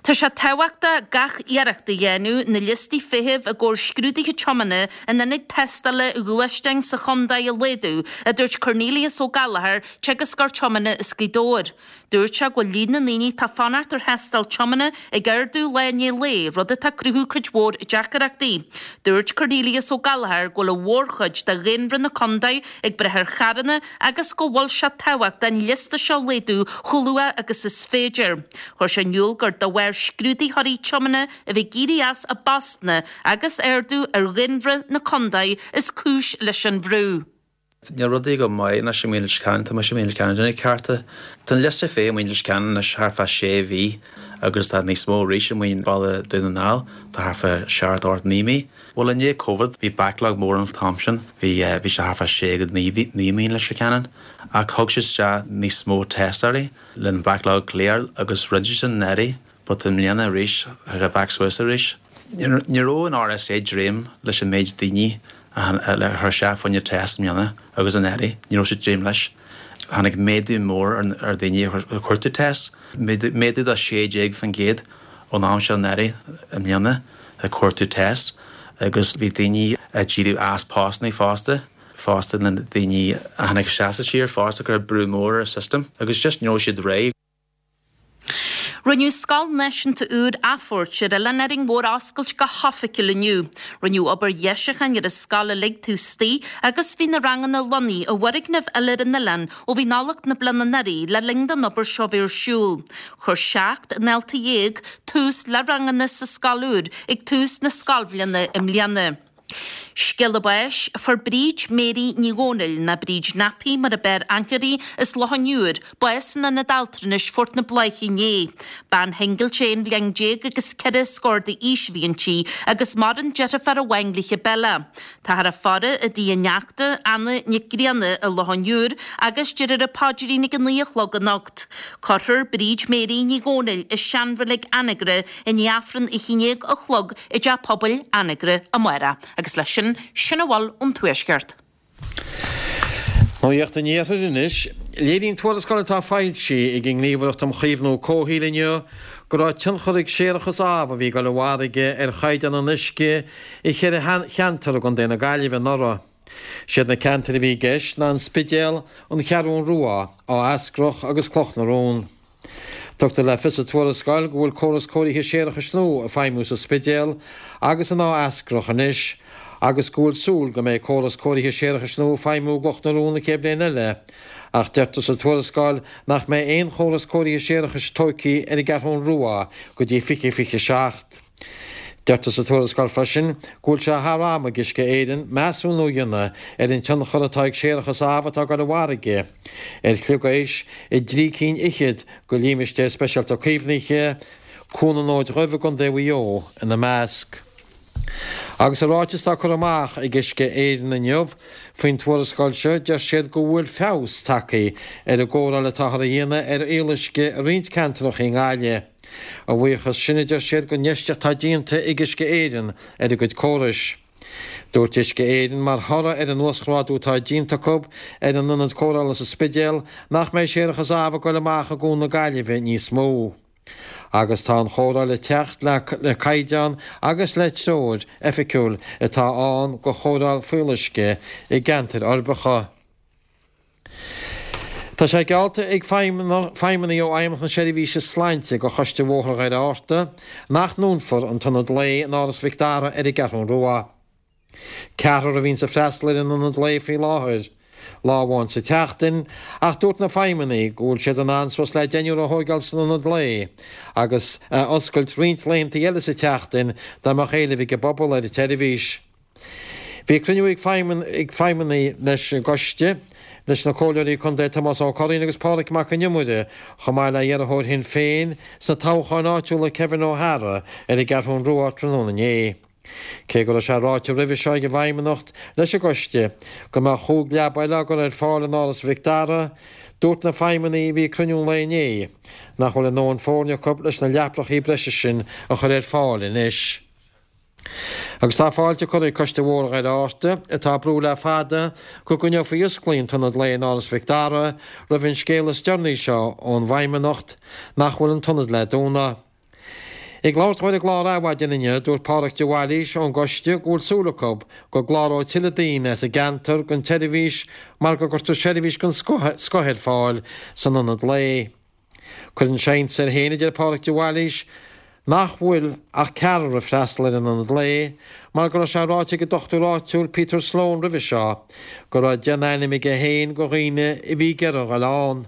Tá sé tábhachtach gach iarracht a dhéanamh na liostaí feithimh i gcomhair scrúduithe tiomána in ionaid tástála ghluaisteáin sa chontae a laghdú, a dúirt Cornelius Ó Gallchóir, teagascóir tiomána as Gaoth Dobhair. Dúirt sé go bhfuil líon na ndaoine atá ag fanacht ar thástáil tiomána ag ardú lá i ndiaidh lae, rud atá ag cruthú cuid mhór deacaireachtaí. Dúirt Cornelius Ó Gallchóir go bhfuil an mhórchuid de dhaonra na contae ag brath ar charranna agus go bhfuil sé tábhachtach an liosta seo a laghdú chomh luath agus is féidir. Chuir sé in iúl gur de bharr scrúdaitheoirí tiomána a bheith ag éirí as a bpostanna agus ardú ar dhaonra na contae is cúis leis an bhrú. Níl rudaí go maith anois i Muin Leitir Ceanainn, tá mise i Muin Leitir Ceanainn ag déanamh cearta. Tá an liosta feithimh i Muin Leitir Ceanainn anois thart fá sé mhí agus tá níos mó arís i Muin Baile Dún na nGall, tá thart fá seacht, ocht, naoi mí. Bhuel i ndiaidh Covid bhí backlog mór an t-am sin, bhí bhí sé thart fá sé go naoi mhí i Muin Leitir Ceanainn ach thug siad isteach níos mó tástáirí le an backlog clear agus rinne siad sin anuraidh but i mbliana arís tá sé back suas arís. Ní raibh an RSA ag dréim leis an méid daoine a le chur isteach fá choinne test i mbliana agus anuraidh, ní raibh siad ag dréim leis. Tháinig méadú mór ar daoine a chuartú test, méadú de 16% ón am seo anuraidh i mbliana ag cuartú test agus bhí daoine ag éirí as postanna fosta, fosta na daoine a tháinig isteach sa tír fosta chuir brú mór ar an system agus just ní raibh siad réidh. Rinneadh Scoil Náisiúnta úr Athphoirt ar Oileán Árainn Mhór a oscailt go hoifigiúil inniu. Rinneadh obair dheisiúcháin ar an scoil uilig taobh istigh agus bhí na ranganna lonnaithe i bhfoirgneamh eile ar an oileán ó bhí Nollaig na bliana anuraidh le linn don obair seo bheith ar siúl. Chuir 17 ndalta tús le ranganna sa scoil úr ag tús na scoilbhliana i mbliana. Scéala báis, Fuair Bríd Mary Ní Dhomhnaill, nó Bríd Nappy mar a b'fhearr aithne uirthi, as Loch an Iúir, bás in Ionad Altranais Phort na Bláiche inné. Bean shingil 11 bhliain agus ceithre scór d'aois a bhí inti agus maireann deirfiúr amháin léithe Bella. Táthar á faire i dtigh a neachta, Anna Nic Grianna i Loch an Iúir agus déarfar an paidrín ag 9 a chlog anocht. Cuirfear Bríd Mary Ní Dhomhnaill i seanreilig Anagaire i ndiaidh Aifreann a 11 a chlog i dTeach Pobail Anagaire amárach. Agus leis sin, sin a bhfuil ón Tuaisceart. Nuacht an Iarthair anois. Léiríonn tuarascáil atá foilsithe ag an nGníomhaireacht um Chaomhnú Comhshaoil inniu go raibh tionchar ag séarachas amh a bhí ag dul i bhfarraige ar chaighdeán an uisce i cheithre cheantar i gContae na Gaillimhe anuraidh. Siad na ceantair a bhí i gceist ná an Spidéal, an Cheathrún Rua, Áth Eascrach agus Cloch na Rón. Tugtar le fios sa tuarascáil go bhfuil córas cóirithe séarachais nua ag feidhmiú sa Spidéal agus in Áth Eascrach anois agus go bhfuil súil go mbeidh córas cóirithe séarachais nua ag feidhmiú i gCloch na Rón an chéad bhliain eile ach deirtear sa tuarascáil nach mbeidh aon chóras cóirithe séarachais tógtha ar an gCeathrún Rua go dtí 2027. Deirtear sa tuarascáil freisin go bhfuil sé thar am ag Uisce Éireann measúnú a dhéanamh ar an tionchar atá ag séarachas amh atá ag dul i bhfarraige ar shliogáis i dtrí cinn fhichead de Límistéir Speisialta Caomhnaithe, Cuan an Fhóid Dhuibh i gContae Mhaigh Eo ina measc. Agus i ráiteas atá curtha amach ag Uisce Éireann inniu faoin tuarascáil seo, deir siad go bhfuil feabhas tagtha ar an gcóireáil atáthar a dhéanamh ar fhuíolluisce i roinnt ceantracha i nGaillimh. A bhuíochas sin, a deir siad, don infheistíocht atá déanta ag Uisce Éireann ar a gcuid córais. Dúirt Uisce Éireann, mar thoradh ar an uasghrádú atá déanta acu ar an ionad cóireála sa Spidéal, nach mbeidh séarachas amh ag dul amach i gCuan na Gaillimhe níos mó. Agus tá an chóireáil ag teacht le caighdeán agus le treoir oifigiúil atá ann do chóireáil fuíolluisce i gceantair uirbeacha. Tá sé geallta ag feidhmeannaigh ó Fheidhmeannacht na Seirbhíse Sláinte do Choiste Bhóthar Dhoire Fhatharta nach ndúnfar an t-ionad lae in Áras Mhic Dara ar an gCeathrún Rua. Ceathrar a bhíonns ag freastal ar an ionad lae faoi láthair. lá amháin sa tseachtain, ach dúirt na feidhmeannaigh go bhfuil siad in ann suas le deichniúr a thóigeáil san ionad lae agus a oscailt roinnt laethanta eile sa tseachtain dá mbeadh éileamh ag an bpobal ar an tseirbhís. Bhí cruinniú ag feidhmeannaigh leis an gcoiste, leis na Comhairleoirí Contae Tomás Ó Curraoin agus Pádraig Mac an Iomaire, chomh maith le iarrthóir Shinn Féin sna toghcháin áitiúla Kevin O'Hara ar an gCeathrún Rua tráthnóna inné. Cé go raibh sé ráite roimhe seo ag an bhFeidhmeannacht leis an gcoiste go mbeadh chúig leaba eile á gcur ar fáil in Áras Mhic Dara, dúirt na feidhmeannaigh a bhí ag cruinniú an lae inné nach bhfuil a ndóthain foirne acu leis na leaprachaí breise sin a chur ar fáil anois. Agus tá fáilte curtha ag Coiste Bhóthar Dhoire Fhatharta, atá ag brú le fada go gcoinneofaí osclaí an t-ionad lae in Áras Mhic Dara, roimh an scéala is deireanaí seo ón bhFeidhmeannacht nach bhfuil an t-ionad le dúnadh. Ag labhairt dó ar an gclár Adhmhaidin inniu, dúirt Pádhraic de Bhailís ón gcoiste go bhfuil súil acu go gcláróidh tuilleadh daoine as an gceantar don tseirbhís mar go gcuirtear seirbhís den scoth ar fáil san ionad lae. Cuireann sé iontas air féin, a deir Pádhraic de Bhailís, nach bhfuil ach ceathrar ag freastal ar an ionad lae mar go raibh sé ráite ag an dochtúir áitiúil Peter Sloane roimhe seo go raibh 10 n-ainm aige féin de dhaoine a bhí ag iarraidh a dhul ann.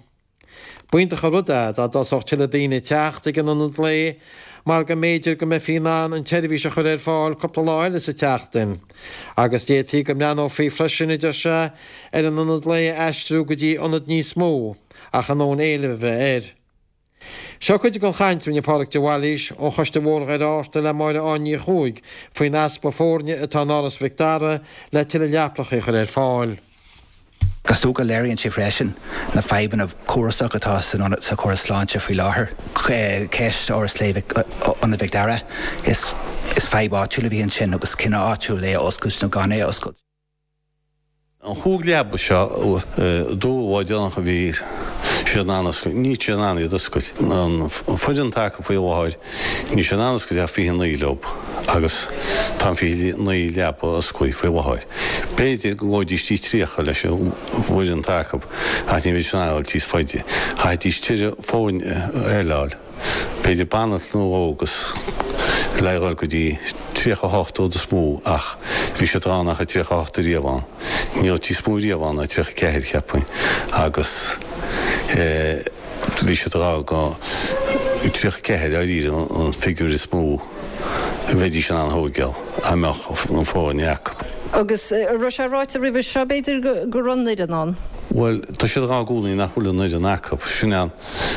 B'iontach an rud é dá dtosódh tuilleadh daoine ag teacht ag an ionad lae mar go mb'fhéidir go mbeifí in ann an tseirbhís a chur ar fáil cúpla lá eile sa tseachtain. Agus d'fhéadfaí go mbreathnófaí freisin, a deir sé, ar an ionad lae a aistriú go dtí ionad níos mó ach a ndóthain éilimh a bheith air. Seo cuid den chaint a rinne Pádhraic de Bhailís ó Choiste Bhóthar Dhoire Fhatharta le Máire Áine Ní Chuaig faoin easpa foirne atá in Áras Mhic Dara le tuilleadh leapracha a chur ar fáil. Is dócha léiríonn sé freisin na fadhbanna córasacha atá san ionad sa chóras sláinte faoi láthair. Ceist Áras Lae Ionad Mhic Dara, is is fadhb áitiúil a bhí ansin agus cinneadh áitiúil é a oscailt nó gan é a oscailt. An chúig leaba seo dúradh lá deireanach a bhí siad in ann oscailt, níl siad in ann iad oscailt. An foireann atá acu faoi láthair, níl siad in ann oscailt ach 29 leo agus tá an 29 leaba osclaithe faoi láthair. B'fhéidir go ngabhfaidís dtí 30 leis an bhfoireann atá acu ach ní bheidís in ann a dhul níos faide. Chaithfidís tuilleadh foirne eile a fháil, b'fhéidir banaltra nó dhó agus le dhul go dtí 38 rud is mó ach bhí siad ag rá nach raibh 38 ariamh ann. Ní raibh níos mó riamh ann ná 34 cheapfainn agus eh. Bhí siad ag rá go 34 dáiríre an figiúr is mó a bheidís in ann a thóigeáil dá mbeadh an foirne acu. Agus an raibh sé ráite roimhe seo, b'fhéidir, go raibh an fhoireann ann? Bhuel, tá siad ag rá i gcónaí nach bhfuil an fhoireann acu. Sin an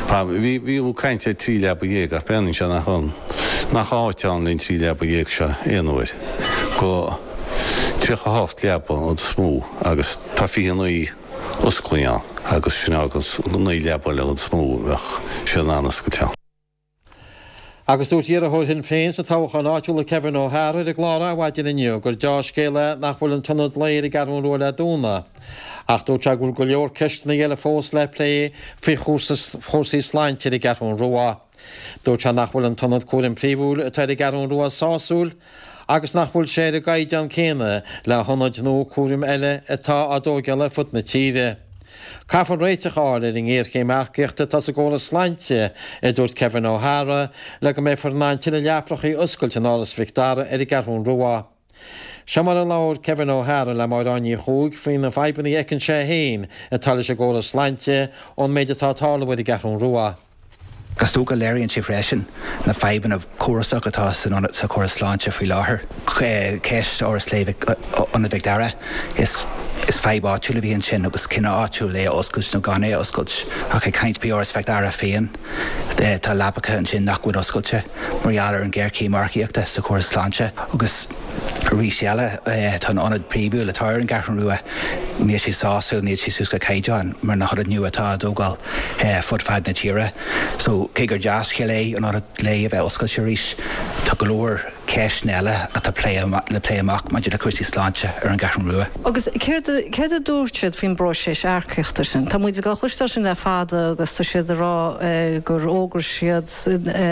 fadhb. Bhí, bhí caint ar 13 leaba ach breathnaíonn sé nach ann, nach áit ann len 13 leaba seo aon uair. Go 38 leaba an rud is mó agus tá 29. osclaithe ann agus sin agus 9 leaba eile an rud is mó a bheadh siad in ann oscailt ann. Agus dúirt iarrthóir Shinn Féin sna toghcháin áitiúla Kevin O'Hara ar an gclár Adhmhaidin inniu gur deá-scéal é nach bhfuil an t-ionad lae ar an gCeathrú Rua le dúnadh. Ach dúirt sé go bhfuil go leor ceisteanna eile fós le plé faoi chúrsaí sláinte ar an gCeathrú Rua. Dúirt sé nach bhfuil an t-ionad cúraim phríomhúil atá ar an gCeathrú Rua sásúil agus nach bhfuil sé ar an gcaighdeán céanna le hionaid nua cúraim eile atá á dtóigeáil ar fud na tíre. Caithfear réiteach a fháil ar an ngéarchéim earcaíochta atá sa gcóras sláinte, a dúirt Kevin O'Hara, le go mbeifear in ann tuilleadh leaprachaí a oscailt in Áras Mhic Dara ar an gCeathrú Rua. Seo mar a labhair Kevin O'Hara le Máire Áine Ní Chuaig faoi na fadhbanna a fheiceann sé féin atá leis an gcóras sláinte ón méid atá ag tarlú ar an gCeathrú Rua. Is dócha léiríonn sé freisin na fadhbanna córasacha atá san ionad sa chóras sláinte faoi láthair. Ceist Áras Lae Ionad Mhic Dara, is is fadhb áitiúil a bhí ansin agus cinneadh áitiúil é a oscailt nó gan é a oscailt. Ach ag caint faoi Áras Mhic Dara féin, tá leapacha ansin nach bhfuil oscailte. mar gheall ar an ghéarchéim earcaíochta sa chóras sláinte agus arís eile tá an ionad príomhúil atá ar an gCeathrú Rua, níl sé sásúil, níl sé suas go caighdeán mar na hionaid nua atá á dtógáil fud fad na tíre. So cé gur dea-scéal é an ionad lae a bheith oscailte arís, tá go leor ceisteanna eile atá le plé amach maidir le cúrsaí sláinte ar an gCeathrú Rua. Agus céard, céard a dúirt siad faoin bpróiseas earcaíochta sin? Tá muid ag cloisteáil sin le fada agus tá siad ag rá gur fhógair siad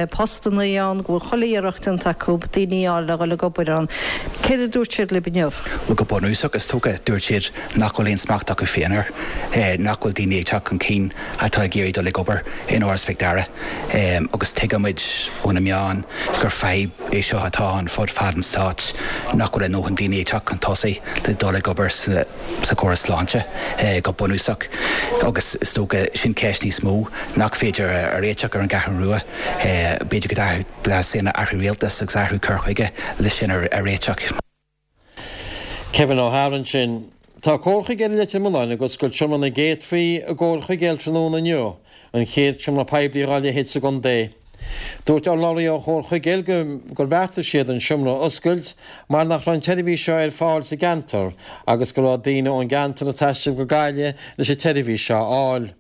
postannaí ann, go bhfuil chuile iarracht déanta acu daoine a fháil le dhul ag obair ann. Céard a dúirt siad libh inniu? Bhuel, go bunúsach, is dócha, dúirt siad nach bhfuil aon smacht acu féin air, nach bhfuil daoine ag teacht chun cinn atá ag iarraidh dul ag obair in Áras Mhic Dara. Agus tuigimid ó na meáin gur fadhb é seo atá. atá ann fud fad an stáit nach bhfuil a ndóthain daoine ag teacht chun tosaigh le dul ag obair sa chóras sláinte go bunúsach agus is dócha sin ceist níos mó nach féidir a réiteach ar an gCeathrú Rua. B'fhéidir go dteastaíonn athrú rialtais agus athrú cur chuige le sin a réiteach. Kevin O'Hara ansin. Tá Comhar Chuigéil Leitir Mealláin ag oscailt Seomra na gCéadfaí i gComhar Chuigéil tráthnóna inniu, an chéad seomra poiblí dhá leithéid sa gcontae. Dúirt urlabhraí ó Chomhar Chuigéil gur bheartaigh siad an seomra a oscailt mar nach raibh an tseirbhís seo ar fáil sa gceantar agus go raibh daoine ón gceantar ag taisteal go Gaillimh leis an tseirbhís seo a fháil.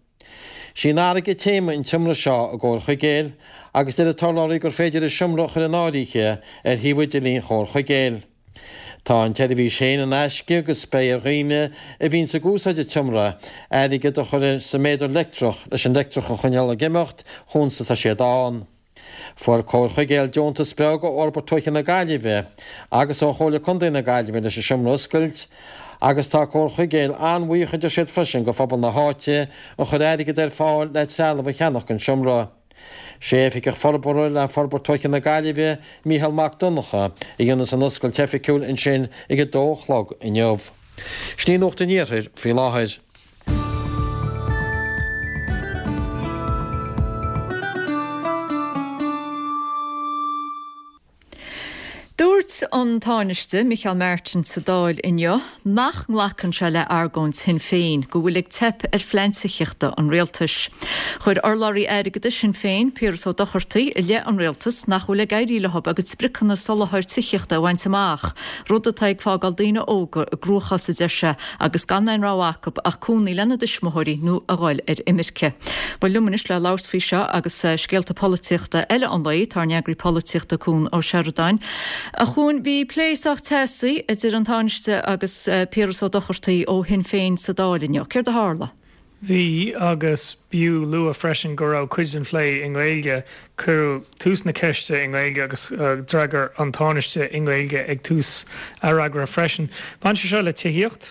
Sí an fharraige téama an tseomra seo i gComhar Chuigéil agus deir an t-urlabhraí gur féidir an seomra a chur in áirithe ar shuíomh idirlín Chomhar Chuigéil. Tá an tseirbhís féin in aisce agus beidh ar dhaoine a bhíonns ag úsáid an tseomra airgead a chur sa méadar leictreach leis an leictreach a choinneáil ag imeacht chuan 's atá siad ann. Fuair Comhar Chuigéil deontas beag ó Fhorbairt Tuaithe na Gaillimhe agus ó Chomhairle Contae na Gaillimhe leis an seomra a oscailt agus tá Comhar Chuigéil an-bhuíoch a deir siad freisin go phobal na háite a chuir airgead ar fáil le trealamh a cheannach don seomra. Sé Oifigeach Forbartha le Forbairt Tuaithe na Gaillimhe, Mícheál Mac Donncha, a dhéanfas an oscailt oifigiúil ansin ag a dó a chlog inniu. Sin í Nuacht an Iarthair faoi láthair. Dúirt an Tánaiste Micheál Martin sa Dáil inniu nach nglacann sé le argóint Shinn Féin go bhfuil ag teip ar phlean tithíochta an rialtais. Chuir urlabhraí airgeadais Shinn Féin, Piaras Ó Dochartaigh, i leith an rialtais nach bhfuil ag éirí leo a gcuid spriocanna soláthair tithíochta a bhaint amach, rud atá ag fágáil daoine óga i gcruachás, a deir sé, agus gan aon rogha acu ach cónaí lena dtuismitheoirí nó a dhul ar imirce. Bhuel, liom anois le labhairt faoi seo agus scéalta polaitíochta eile an lae, tá ár n-eagraí polaitíochta Cuan Ó Seireadáin. A Chuain, bhí plé sách teasaí idir an Tánaiste agus Piaras Ó Dochartaigh ó Shinn Féin sa Dáil inniu. Céard a tharla? Bhí, agus b'fhiú lua freisin go raibh cuid den phlé i nGaeilge. Cuireadh tús na ceiste i nGaeilge agus d'fhreagair an Tánaiste i nGaeilge ag tús a fhreagra freisin. Bhain sé seo le tithíocht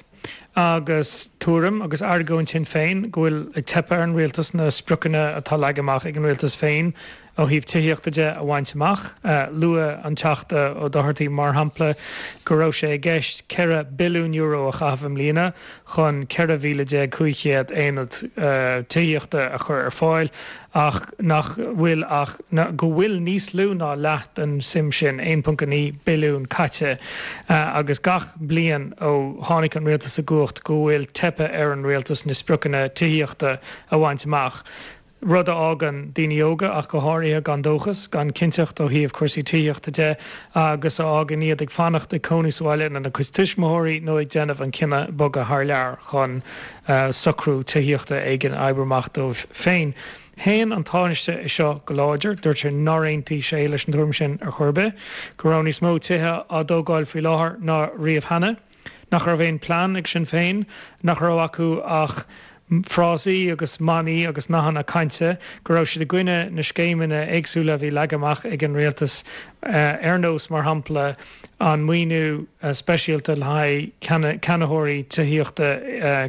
agus tuairim agus argóint Shinn Féin go bhfuil ag teipeadh ar an rialtas na spriocanna atá leagtha amach ag an rialtas féin ó thaobh tithíochta de a bhaint amach. Luaigh an Teachta Ó Dochartaigh, mar shampla, go raibh sé i gceist €4 billiún a chaitheamh i mbliana chun 14,500 aonad tithíochta a chur ar fáil ach nach bhfuil ach go bhfuil níos lú ná leath den suim sin, 1.9 billiún, caite agus gach bliain ó tháinig an rialtas i gcumhacht go bhfuil teipthe ar an rialtas na spriocanna tithíochta a bhaint amach. rud a fhágann daoine óga, ach go háirithe, gan dóchas, gan cinnteacht ó thaobh cúrsaí tithíochta de agus a fhágann iad ag fanacht ag cónaí sa bhaile lena gcuid tuismitheoirí nó ag déanamh an cinneadh bogadh thar lear chun socrú tithíochta éigin a oibriú amach dóibh féin. Shéan an Tánaiste é seo go láidir, dúirt sé nár aontaigh sé leis an tuairim sin ar chor ar bith, go raibh níos mó tithe á dtógáil faoi láthair ná riamh cheana. nach raibh aon plean ag Sinn Féin, nach raibh acu ach frásaí agus manaí agus nathanna cainte, go raibh siad i gcoinne na scéimeanna éagsúla a bhí leagtha amach ag an rialtas, ar nós, mar shampla, an maoiniú speisialta le haghaidh ceannaitheoirí tithíochta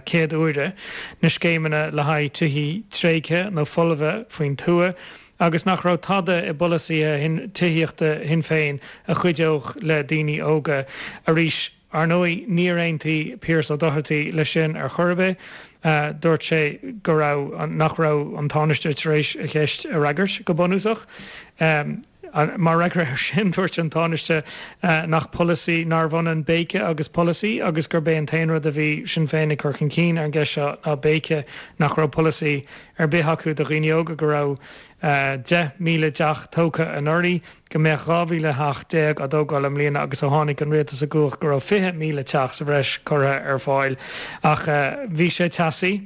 céad uaire, na scéimeanna le haghaidh tithí tréigthe nó folmha faoin tuath, agus nach raibh tada i bpolasaithe tithíochta Shinn Féin a chuideodh le daoine óga. Arís, ar ndóigh, níor aontaigh Pearse Ó Dochartaigh leis sin ar chor ar bith. Dúirt sé go raibh, nach raibh an Tánaiste tar éis a cheist a fhreagairt, go bunúsach. Mar fhreagra air sin, dúirt an Tánaiste nach polasaí, nárbh ionann béice agus polasaí agus gurb é an t-aon rud a bhí Sinn Féin ag cur chun cinn ar an gceist seo ná béice, nach raibh polasaí ar bith acu do dhaoine óga, go raibh 10,000 teach tógtha anuraidh, go mbeadh 12,000 theach á dtógáil i mbliana agus ó tháinig an rialtas i gcumhacht go raibh 20,000 teach sa bhreis curtha ar fáil. Ach bhí sé teasaí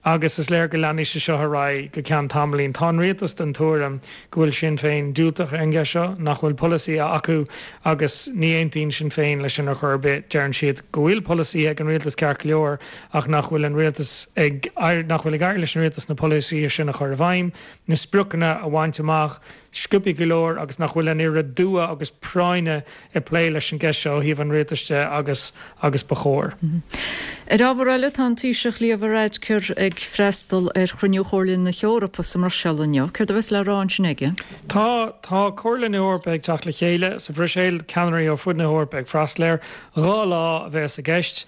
agus is léir go leanfaidh sé seo ar aghaidh go ceann tamaillín. Tá an rialtas den tuairim go bhfuil Sinn Féin diúltach ar an gceist seo, nach bhfuil polasaí acu agus ní aontaíonn Sinn Féin leis sin ar chor ar bith. Deireann siad go bhfuil polasaithe ag an rialtas ceart go leor ach nach bhfuil an rialtas ag, nach bhfuil ag éirí leis an rialtas na polasaithe sin a chur i bhfeidhm, na spriocanna. spriocanna a bhaint amach sciobtha go leor agus nach bhfuil an oiread dua agus práinne ag plé leis an gceist seo ó thaobh an rialtais de agus agus ba chóir. Ar ábhar eile, tá an Taoiseach Leo Varadkar ag freastal ar chruinniú Chomhairle na hEorpa sa mBruiséil inniu. Céard a bheas le rá ansin aige? Tá, tá Comhairle na hEorpa ag teacht le chéile sa Bhruiséil, ceannairí ó fud na hEorpa ag freastal air. 2 lá a bheas i gceist.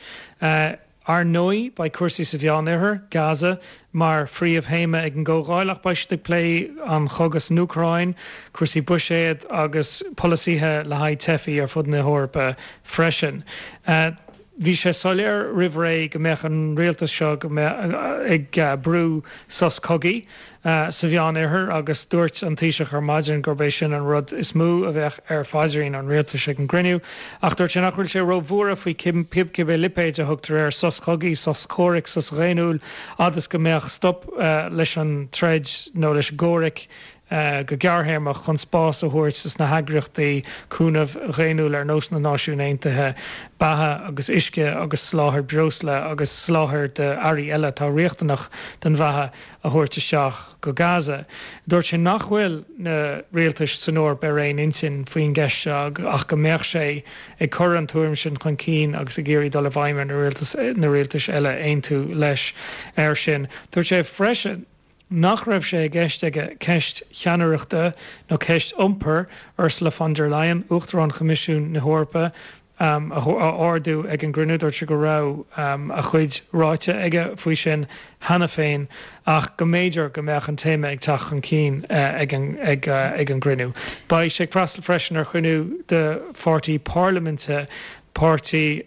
Ar ndóigh, beidh cúrsaí sa Mheánoirthear, Gaza, mar phríomhthéama ag an gcomhdháil ach beidh siad ag plé an chogadh san Úcráin, cúrsaí buiséid agus polasaithe le haghaidh teifigh ar fud na hEorpa freisin. Bhí sé soiléir roimh ré go mbeadh an rialtas seo go mbeadh ag brú sos cogaidh. sa Mheánoirthear agus dúirt an Taoiseach ar maidin gurb é sin an rud is mó a bheadh ar phaidrín an rialtais ag an gcruinniú. Ach dúirt sé nach bhfuil sé róbhuartha faoi cibé lipéid a thugtar air, sos cogaidh, sos comhraic, sos dhaonnúil, fhad is go mbeadh stop leis an troid nó leis an gcomhrac go gearrthéarmach chun spás a thabhairt dos na heagraíochtaí cúnaimh dhaonnúil ar nós na Náisiún Aontaithe beatha agus uisce agus soláthar breosla agus soláthar d'earraí eile atá riachtanach don bheatha a thabhairt isteach go Gaza. Dúirt sé nach bhfuil na rialtais san Eoraip ar aon intinn faoin gceist seo ach go mbeadh sé ag cur an tuairim sin chun cinn agus ag iarraidh dul i bhfeidhm ar na rialtais eile aontú leis air sin. Dúirt sé freisin nach raibh sé i gceist aige ceist cheannaireachta nó ceist iompair Ursula von der Leyen, Uachtarán Choimisiún na hEorpa, a ardú ag an gcruinniú. Dúirt sé go raibh a chuid ráite aige faoi sin cheana féin ach go mb'fhéidir go mbeadh an téama ag teacht chun cinn ag an gcruinniú. Beidh sé ag freastal freisin ar chruinniú de pháirtí parlaiminte Páirtí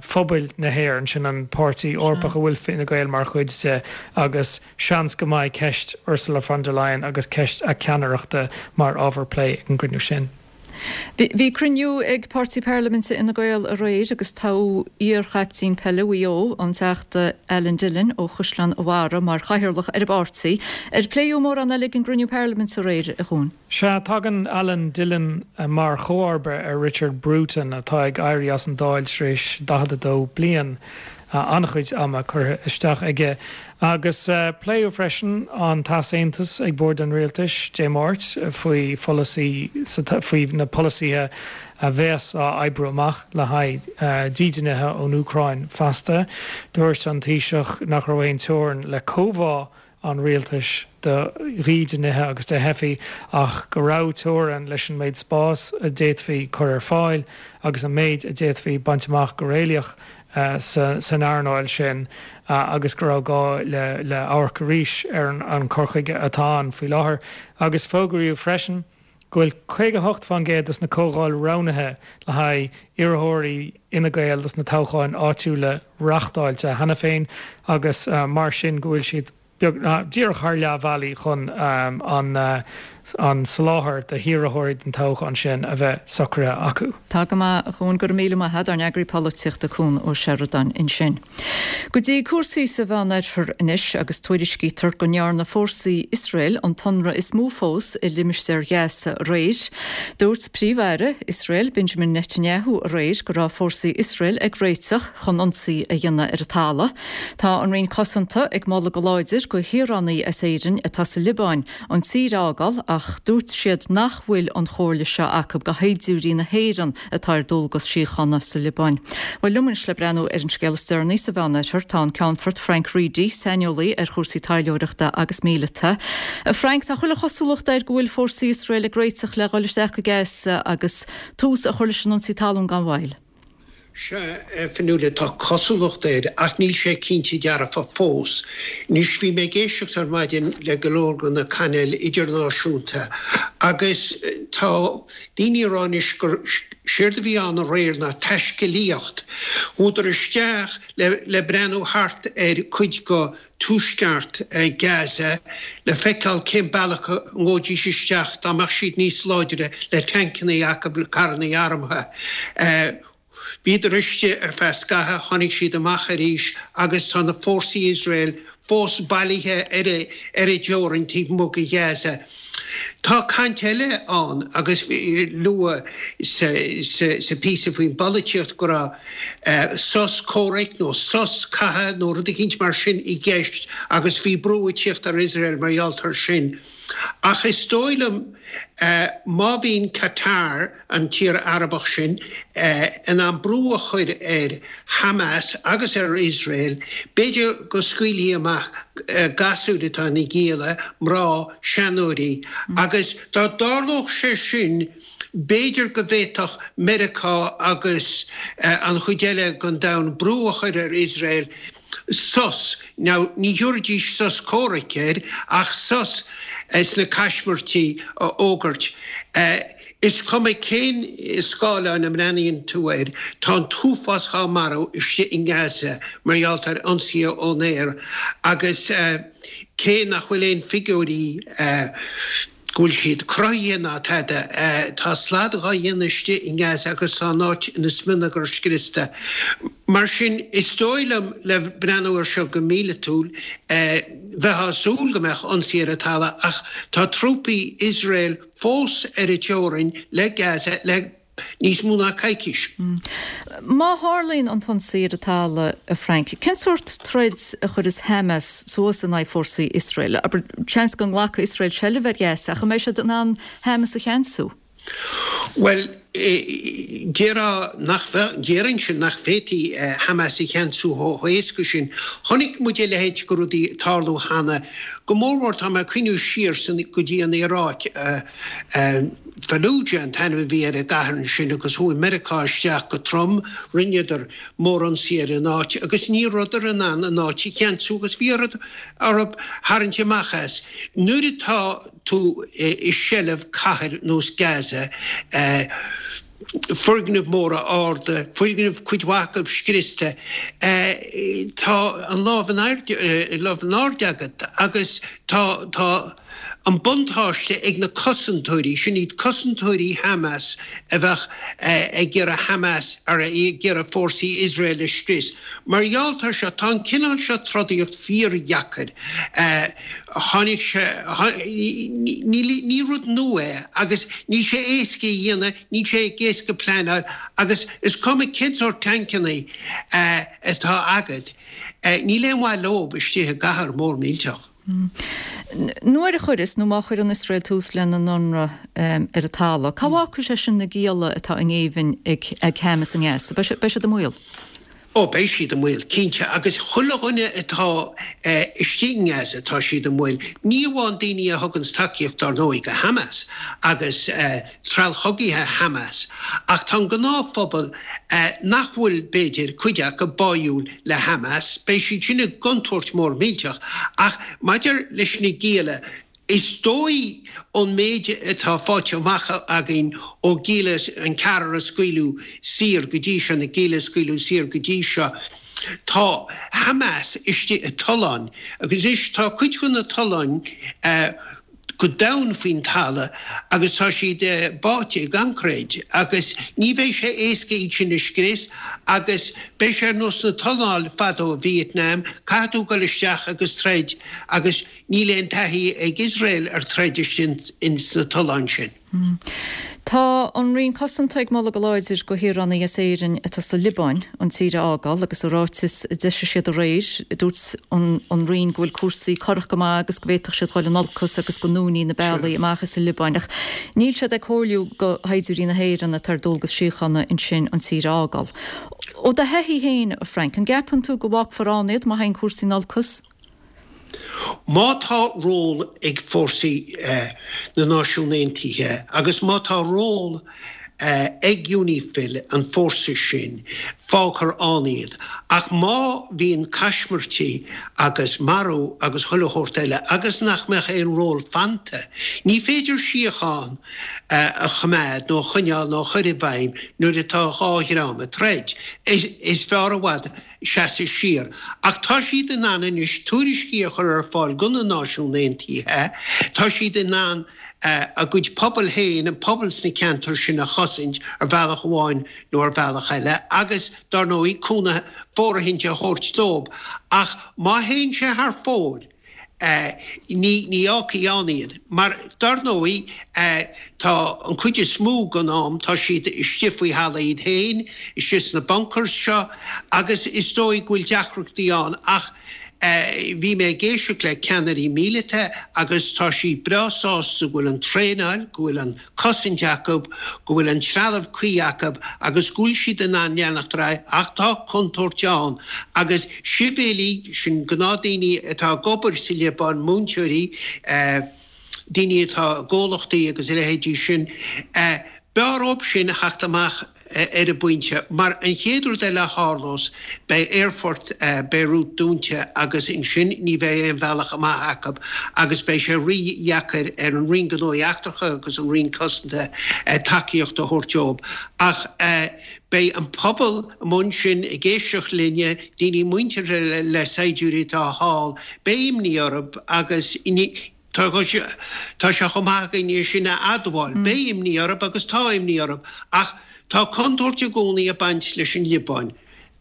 Phobail na hÉireann, sin an páirtí Eorpach a bhfuil Fine Gael mar chuid de, agus seans go mbeidh ceist Ursula von der Leyen agus ceist a ceannaireachta mar ábhar plé ag an gcruinniú sin. Bhí cruinniú ag Páirtí Parlaiminte Fhine Gael aréir agus toghadh iar-chaiptín peile Mhaigh Eo, an Teachta Alan Dillon ó Chaisleán an Bharraigh mar chathaoirleach ar an bpáirtí. Ar pléadh mórán eile ag an gcruinniú Parlaiminte aréir, a Chuain? Sea, tagann Alan Dillon mar chomharba ar Richard Bruton atá ag éirí as an Dáil tar éis 42 bliain. An-chuid ama curtha isteach aige. Agus pléadh freisin an t-easaontas ag Bord an Rialtais Dé Máirt faoi pholasaí faoi na polasaithe a bheas á oibriú amach le haghaidh dídeanaithe ón Úcráin feasta. Dúirt an Taoiseach nach raibh aon teorainn le comhbhá an rialtais do dhídeanaithe agus do theifigh ach go raibh teorainn leis an méid spáis a d'fhéadfaí cur ar fáil agus an méid a d'fhéadfaí baint amach go réalaíoch san earnáil sin agus go raibh gá le amharc arís ar an cur chuige atá ann faoi láthair. Agus fógraíodh freisin go bhfuil 58% dos na comhdháil roghnaithe le haghaidh iarrthóirí Fhine Gael dos na toghcháin áitiúla reachtáilte cheana féin agus mar sin go bhfuil siad beag díreach thar leath bhealaigh chun an an soláthar do hiarrthóirí don toghchán sin a bheith socraithe acu. Tá go maith, a Chuain, go raibh míle maith agat, ár n-eagraí polaitíochta Cuan Ó Seireadáin ansin. Go dtí cúrsaí sa Mheánoirthear anois agus tuairiscítear go ndearna fórsaí Iosrael an t-ionradh is mó fós i limistéar Ghaza aréir. Dúirt Príomh-Aire Iosrael Benjamin Netanyahu aréir go raibh fórsaí Iosrael ag réiteach chun ionsaí a dhéanamh ar an talamh. Tá an Roinn Cosanta ag moladh go láidir go shaoránaigh as Éirinn atá sa Liobáin an tír a fhágáil ach dúirt siad nach bhfuil an chomhairle seo acu go shaighdiúirí na hÉireann atá ar dualgas síochána sa Liobáin. Bhuel, liom anois le breathnú ar an scéal is deireanaí sa Mheánoirthear tá an Ceannfort Frank Reidy, saineolaí ar chúrsaí taidhleoireachta agus míleata. A Frank, tá chuile chosúlacht air go bhfuil fórsaí Iosrael ag réiteach le dhul isteach go Gaza agus tús a chur leis an ionsaí talún gan mhoill. Sea, a Fionnuala, tá cosúlacht air, ach níl sé cinnte dearfa fós. Anois, bhí mé ag éisteacht ar maidin le go leor de na cainéil idirnáisiúnta agus tá daoine ag rá anois gur séard a bhí ann aréir ná taiscéalaíocht. Chuadar isteach le breathnú thart ar cuid de tuaisceart Gaza le feiceáil cén bealach a ngabhfaidís isteach dá mbeadh siad níos láidre le tancanna acu, le carranna armtha. Bhíodar istigh ar feadh scathaimh, tháinig siad amach arís agus tá na fórsaí Iosrael fós bailithe ar an dteorainn taobh amuigh de Ghaza. Tá caint eile ann agus luadh sa phíosa faoin bpolaitíocht go raibh sos comhraic nó sos catha nó rud eicínt mar sin i gceist agus bhí brú ag tíocht ar Iosrael mar gheall air sin. Ach is dóigh liom má bhíonn Qatar, an tír Arabach sin, in ann brú a chur ar Hamas agus ar Iosrael, b'fhéidir go scaoilfí amach gasúir atá ina ngialla, mná, seanóirí, agus dá dtarlódh sé sin, b'fhéidir go bhféadfadh Meiriceá agus an chuid eile den domhan brú a chur ar Iosrael sos, now ní thiúrfaidís sos comhraic air, ach sos sna caismirtí a fhógairt. Is cuma cén scáileán a mbreathnaíonn tú air, tá an t-uafás dhá marú istigh i nGaza mar gheall ar ionsaithe ón aer agus cé nach bhfuil aon figiúirí go bhfuil siad cruthaithe ná tada, tá slad dhá dhéanamh istigh i nGaza agus tá an áit ina smionagar scriosta. Mar sin, is dóigh liom, le breathnú air seo go míleatúil, bheifeá ag súil go mbeadh ionsaí ar an talamh ach tá trúpaí Iosrael fós ar an teorainn le Gaza le níos mó ná coicís. Má tharlaíonn an t-ionsaí ar an talamh, a Frank, cén sórt troid a chuirfeas Hamas suas in aghaidh fórsaí Iosrael? Abair, seans go nglacfaidh Iosrael seilbh ar Ghaza, ach an mbeidh siad in ann Hamas a cheansú? Bhuel, déarfá nach, déarfainnse nach bhféadfaí Hamas a cheansú chomh héasca sin. Chonaic muid a leithéid de rudaí ag tarlú cheana, go mórmhór tá mé ag cuimhniú siar go dtí an Iaráic, Fallujah an t-ainm a bhí ar an gcathair ansin agus chuaigh Meiriceá isteach go trom, rinneadar mórionsaí ar an áit agus ní rabhadar in ann an áit a cheansú agus bhí orthu tharraingt amach as. Nuair atá tú i seilbh cathair nós Gaza, foirgnimh mhóra arda, foirgnimh cuid mhaith acu scriosta, tá an lámh in airde, lámh in airde agat agus tá, tá an buntáiste ag na cosantóirí, sin iad cosantóirí Hamas a bheadh ag iarraidh Hamas, ar ag iarraidh fórsaí Iosrael a scrios. Mar gheall air seo, tá an cineál seo trodaíocht fíordheacair. Tháinig sé, ní rud nua é agus níl sé éasca a dhéanamh, níl sé éasca pleanáil agus is cuma cén sórt tancanna atá agat, níl aon mhaith leob istigh i gcathair mór millteach. Nuair a chuireas, nó má chuireann Iosrael tús lena n-ionradh ar an talamh, cá bhfágfaidh sé sin na gialla atá i ngéibheann ag Hamas i nGaza? Beidh siad i mbaol? Ó, beidh siad i mbaol, cinnte, agus chuile dhuine atá istigh i nGaza, tá siad i mbaol. Ní amháin daoine a thuganns tacaíocht, dár ndóigh, go Hamas agus treallchogaithe Hamas, ach tá an gnáthphobal nach bhfuil, b'fhéidir, cuid acu, báúil le Hamas, beidh siad sin i gcontúirt mhór mhillteach. Ach maidir leis na gialla, Is dóigh ón méid atá faighte amach againn ó gialla, an ceathrar a scaoileadh saor go dtí seo, na gialla a scaoileadh saor go dtí seo, tá Hamas istigh i tolláin agus anois tá cuid de na tolláin go domhain faoin talamh agus tá siad báite i gcoincréit agus ní bheidh sé éasca iad sin a scrios agus beidh sé ar nós na tolláin fadó i Vietnam, caithfidh tú dul isteach agus troid agus Níl aon taithí ag Iosrael ar troid istigh ins na tolláin sin. Tá an Roinn Cosanta ag moladh go láidir go shaoránaigh as Éirinn atá sa Liobáin an tír a fhágáil agus i ráiteas a d'eisigh siad aréir dúirt an Roinn go bhfuil cúrsaí corrach go maith agus go bhféadfadh siad dhul in olcas agus go ndúnfaí na bealaí amach as an Liobáin ach níl siad ag comhairliú go shaighdiúirí na hÉireann atá ar dualgas síochána ansin an tír a fhágáil. Ó do thaithí féin, a Frank, an gceapann tú go bhfágfar ann iad má théann cúrsaí in olcas? Má tá ról ag fórsaí na Náisiún Aontaithe agus má tá ról ag Unifil, an fórsa sin, fágfar ann iad. Ach má bhíonn caismirtí agus marú agus chuile shórt eile agus nach mbeadh aon ról fanta, ní féidir síocháin a choimeád nó a choinneáil nó a chur i bhfeidhm nuair atá dhá dhream ag troid. Is fearr i bhfad seasamh siar. Ach tá siad in ann anois tuairiscí a chur ar fáil go na Náisiún Aontaithe, tá siad in ann a gcuid pobal féin, an pobal sna ceantair sin a chosaint ar bhealach amháin nó ar bhealach eile agus, dar ndóigh, cúnamh fóirithint a thabhairt dóibh. Ach má théann sé thar fóir, ní fhágfaí ann iad. Mar, dar ndóigh, tá an chuid is mó den am, tá siad istigh faoi thalamh iad féin, istigh sna bunkers seo, agus is dóigh go bhfuil deacrachtaí ann. Ach. Bhí mé ag éisteacht le ceannairí míleata agus tá siad breá sásta go bhfuil an traenáil, go bhfuil an cosaint acu, go bhfuil an trealamh cuí acu agus go bhfuil siad in ann leanacht ar aghaidh ach tá contúirt ann agus sibhialaigh, sin gnáthdaoine atá ag obair sa Liobáin, múinteoirí, daoine atá i gcomhlachtaí agus a leithéidí sin, b'fhearr dhóibh sin a theacht amach ar an bpointe mar an chéad rud eile a tharlós beidh aerfort Beirut dúnta agus ansin ní bheidh aon bhealach amach acu agus beidh sé rí-dheacair ar an Roinn Gnóthaí Eachtracha agus an Roinn Cosanta tacaíocht a thabhairt dóibh. Ach beidh an pobal amuigh ansin ag éisteacht linne, daoine muinteartha le saighdiúirí atá thall, beidh imní orthu agus tá sé chomh maith againn é sin a admháil. Beidh imní orthu agus tá imní orthu ach tá contúirt i gcónaí ag baint leis an Liobáin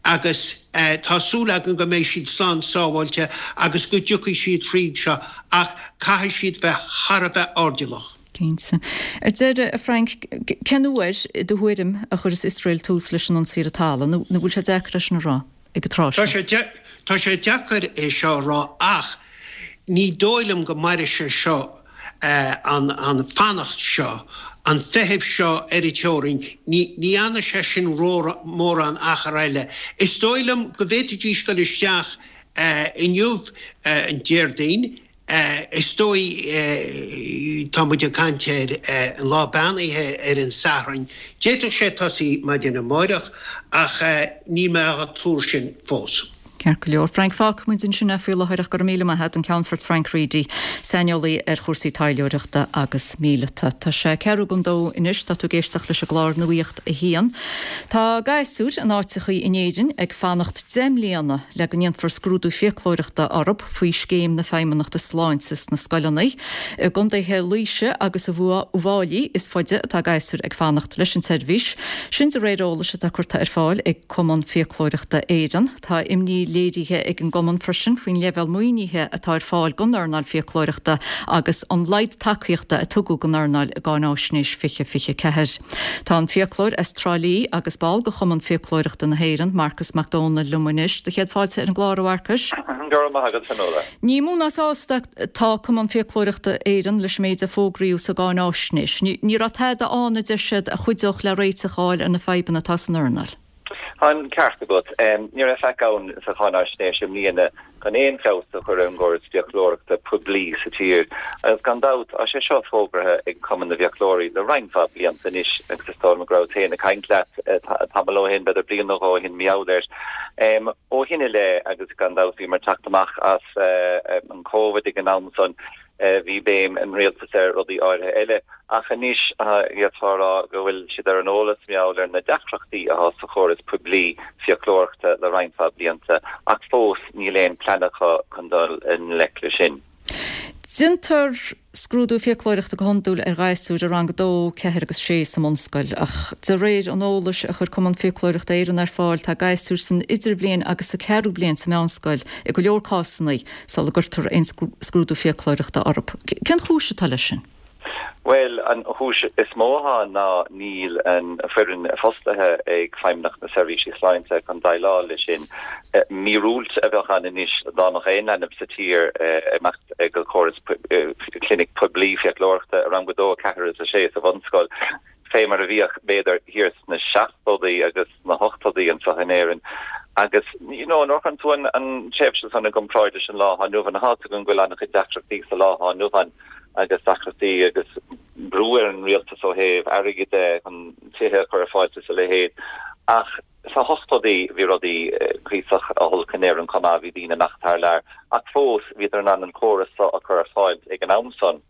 agus tá súil againn go mbeidh siad slán sábháilte agus go dtiocfaidh siad thríd seo ach caithfidh siad bheith thar a bheith airdeallach. Cinnte. Ar deireadh, a Frank, cén uair, i do thuairim, a chuirfeas Iosrael tús leis an ionsaí ar an talamh? Nó bhfuil sé deacair é sin a rá ag an tráth seo? Tá sé deacair é seo a rá ach ní dóigh liom go mairfidh sé seo, an fanacht seo, an feitheamh seo ar an teorainn, ní fhanfaidh sé sin mórán achar eile. Is dóigh liom go bhféadfaidís dul isteach inniu, an Déardaoin, Is dóigh, tá muid ag caint ar an lá beannaithe ar an Satharn, d'fhéadfadh sé tosaí maidin amáireach ach níl mé á tuar sin fós. Ceart go leor. Frank, fágfaidh muid ansin é faoi láthair ach go raibh míle maith agat, an Ceannfort Frank Reidy, saineolaí ar chúrsaí taidhleoireachta agus míleata. Tá sé ceathrú don dó anois, tá tú ag éisteacht leis an gclár Nuacht a hAon. Tá gasúir in áiteachaí in Éirinn ag fanacht 10 mbliana le go ndéanfar scrúdú fiaclóireachta orthu faoi scéim na Feidhmeannachta Sláinte sna scoileanna. I gcontaetha Laoise agus Uíbh Fhailí is faide atá gasúir ag fanacht leis an tseirbhís. Sin de réir eolais atá curtha ar fáil ag Cumann Fiaclóireachta Éireann. Tá imní léirithe ag an gcumann freisin faoin leibhéal maoinithe atá ar fáil don earnáil fiaclóireachta agus an laghad tacaíochta a tugadh don earnáil i gCáináisnéis 2024. Tá an fiaclóir as Trá Lí agus ball de Chumann Fiaclóireachta na hÉireann, Marcus Mac Dónaill liom anois. Do chéad fáilte ar an gclár, a Mharcais. Go raibh maith agat, Fionnuala. Ní mó ná sásta atá Cumann Fiaclóireachta Éireann leis an méid a fógraíodh sa gcáináisnéis. Ní raibh tada ann, a deir siad, a chuideodh le réiteach a fháil ar na fadhbanna atá san earnáil. Tá an ceart agat. Ní raibh faic ann sa cháináisnéis i mbliana chun aon feabhas a chur ar an gcóras fiaclóireachta poiblí sa tír. Agus gan dabht, tá sé seo fógartha ag Cumann na bhFiaclóirí le roinnt mhaith blianta anois agus is dóigh liom go rabhas féin ag caint leat tamall ó shin, b'fhéidir bliain nó dhó ó shin, mar gheall air. Ó shin i leith, agus gan dabht bhíomar ag teacht amach as an Covid ag an am san, Bhí béim an rialtais ar rudaí áirithe eile, ach anois d'fhéadfá a rá go bhfuil siad ar an eolas mar gheall ar na deacrachtaí atá sa chóras poiblí fiaclóireachta le roinnt mhaith blianta, ach fós níl aon plean acu chun dul i ngleic leis sin. Déantar scrúdú fiaclóireachta go hiondúil ar ghasúir i rang 2, 4 agus 6 sa mbunscoil, ach de réir an eolais a chuir Cumann Fiaclóireachta Éireann ar fáil, tá gasúir san idirbhliain agus sa ceathrú bliain sa mheánscoil i go leor cásanna sula gcuirtear aon scrúdú fiaclóireachta orthu. Cén chúis atá leis sin? Bhuel, an chúis is mó atá ann ná níl an foireann fostaithe ag Feidhmeannacht na Seirbhísí Sláinte chun déileáil leis sin. Míorúilt a bheadh ann anois dá mbeadh aon leanbh sa tír ag imeacht go córas clinic poiblí fiaclóireachta i rang a dó, a ceathair is a sé sa bhunscoil. fé mar a bhíodh, b'fhéidir, thiar sna seachtóidí agus sna hochtóidí anseo in Éirinn. Agus, you know, nuair a chuireann tú an, an tréimhse san i gcomparáid leis an lá atá inniu ann, tá a fhios againn go bhfuil an-chuid deacrachtaí sa lá atá inniu ann agus deacrachtaí agus brú ar an rialtas ó thaobh airgid de chun tithe a chur ar fáil is a leithéid. Ach Sna hochtóidí bhí rudaí cuíosach olc in Éirinn chomh maith, bhí daoine ag imeacht thar lear, ach fós bhíodar in ann an córas seo a chur ar fáil ag an am san.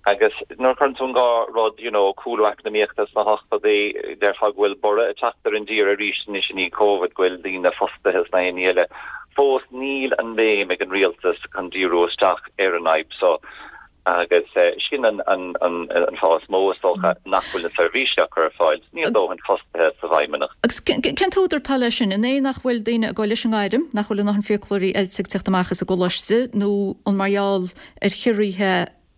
Agus nuair a chuireann tú an dhá rud, you know, cúlú eacnamaíochta sna hochtóidí, déarfá go bhfuil borradh ag teacht ar an dtír arís anois i ndiaidh Covid, go bhfuil daoine fostaithe is na haon ní eile. Fós níl an bhéim ag an rialtas chun díriú isteach ar an fhadhb seo. Agus sin an fáth is mó, is dócha, nach bhfuil na seirbhísí á cur ar fáil. Níl dóthain fostaithe sa bhFeidhmeannacht. Agus cén t-údar atá leis sin? An é nach bhfuil daoine ag dul leis an ngairm, nach bhfuil a ndóthain fiaclóirí oilte ag teacht amach as an gcoláiste, nó an mar gheall ar chiorruithe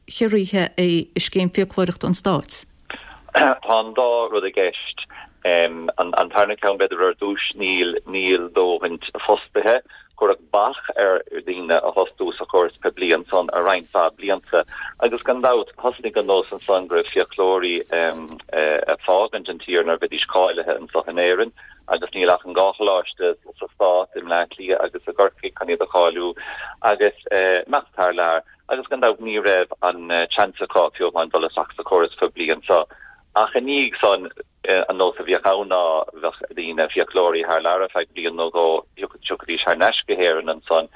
chiorruithe i scéim fiaclóireachta an Stáit? Tá an dá rud i gceist. An tarna ceann, b'fhéidir ar dtús, níl níl dóthain fostaithe. Cuireadh bac ar dhaoine. daoine a fhostú sa chóras poiblí ansan ar roinnt mhaith blianta agus gan dabht thosnaigh an nós ansan go raibh fiaclóirí ag fágaint an tír nuair a bheidís cáilithe anso in Éirinn agus níl ach an dhá choláiste sa stát, i mBleá Cliath agus i gCorcaigh chun iad a cháiliú agus imeacht thar lear agus gan dabht ní raibh an seans acu fiú amháin dul isteach sa chóras poiblí anso ach i ndiaidh san An nós a bhíodh ann ná bheadh daoine, fiaclóirí, thar lear ar feadh bliain nó dhó, thiocfaidís thar n-ais go hÉirinn ansan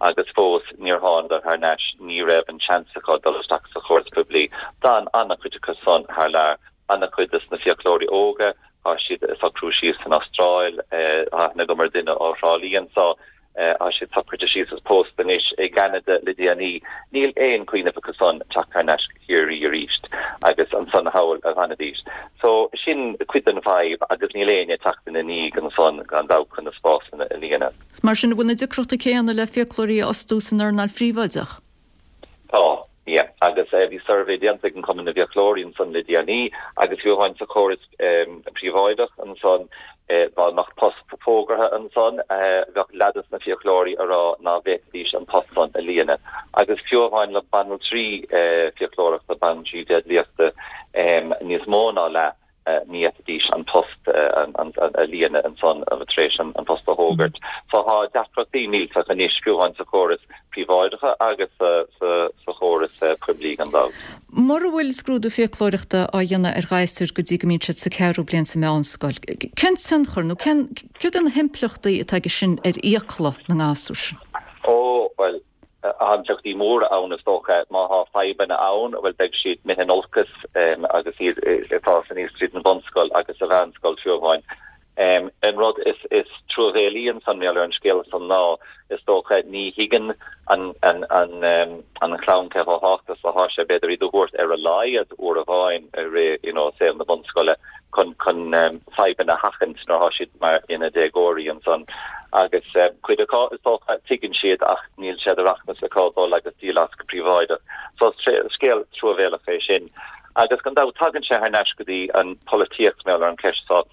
agus fós níor thánadar thar n-ais, ní raibh an seans acu dul isteach sa chóras poiblí. D'fhan an-chuid acu san thar lear. An-chuid des na fiaclóirí óga, tá siad ag socrú síos san Astráil, tá aithne agam ar duine ó Thrá Lí anso, Tá siad socraithe síos is pósta anois i gCeanada le déanaí. Níl aon chuimhneamh acu san teacht thar n-ais go Ciarraí arís agus ansan thall a dh'fhanfaidís. So, sin cuid den bhfadhb agus níl éinne ag teacht ina ndiaidh ansan gan dabht chun na spásanna a líonadh. Mar sin, an bhfuil na deacrachtaí céanna le fiaclóirí a fhostú san earnáil phríobháideach? Tá, yeah. Agus bhí suirbhé déanta ag an Cumann na bhFiaclóirí ansan le déanaí agus fiú amháin sa chóras príobháideach ansan, dá mbeadh post fógartha ansan, bheadh leath des na fiaclóirí a rá ná bhféadfaidís an post san a líonadh. Agus fiú amháin le banaltraí fiaclóireachta, banaltraí déidliachta, níos mó ná leath, ní fhéadfaidís an post a líonadh ansan tar éis an post a fhógairt. So tá deacrachtaí millteach anois, fiú amháin sa chóras príobháideach agus sa chóras poiblí gan dabht. Mura bhfuil scrúdú fiaclóireachta á dhéanamh ar ghasúir go dtí go mbíonn siad sa ceathrú bliain sa meánscoil, cén tionchar nó cén, céard é na himpleachtaí atá aige sin ar fhiacla na ngasúr sin? Ó, bhuel, Tá impleachtaí móra ann is dócha. Má tá fadhbanna ann, bhuel beidh siad imithe in olcas agus iad ag fás aníos tríd an bhunscoil agus sa mheánscoil fiú amháin. An rud is truamhéalaí ansan mar gheall ar an scéal san ná is dócha ní thuigeann an chlann cé chomh tábhachtach is atá sé b'fhéidir iad a thabhairt ar a laghad uair amháin i rith you know saol na bunscoile. chun chun fadhbanna a sheachaint nuair atá siad mar ina déagóirí ansan. Agus cuid acu, is dócha, tuigeann siad ach níl sé de rachmas acu dul agus díol as go príobháideach. So is scéal truamhéalach é sin. Agus gan dabht tagann sé thar n-ais go dtí an polaitíocht mar gheall ar an cheist seo.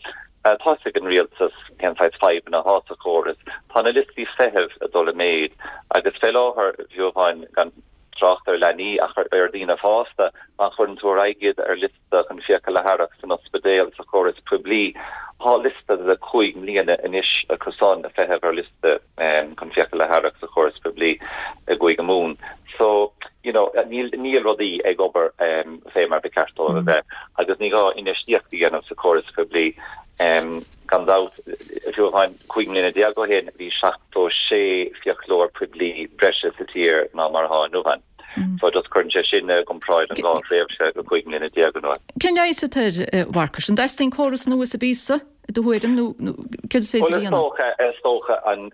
Tá fhios ag an rialtas cén saghas fadhbanna atá sa chóras. Tá na liostaí feithimh ag dul i méid agus fé láthair, fiú amháin gan trácht ar leanaí ach ar dhaoine fásta, má chuireann tú ar aghaidh iad ar liosta chun fiacail a tharrac san ospidéal sa chóras poiblí. Tá liosta de 5 mbliana anois acu san ag feitheamh ar liosta chun fiacail a tharrac sa chóras poiblí i gCúige Mumhan. So, you know, níl, níl rudaí ag obair fé mar ba cheart dóibh a bheith agus ní gá infheistíocht a dhéanamh sa chóras poiblí. Gan dabht, fiú amháin 15 mbliana ó shin bhí 76 fiaclóir poiblí breise sa tír ná mar atá inniu ann. So just cuireann sé sin i gcomparáid an dhá thréimhse de 15 mbliana anuas. Cén leigheas atá air, a Mharcais? An dteastaíonn córas nua sa bpíosa, i do thuairim, nó céard is féidir a dhéanamh? Bhuel, is dócha, is dócha an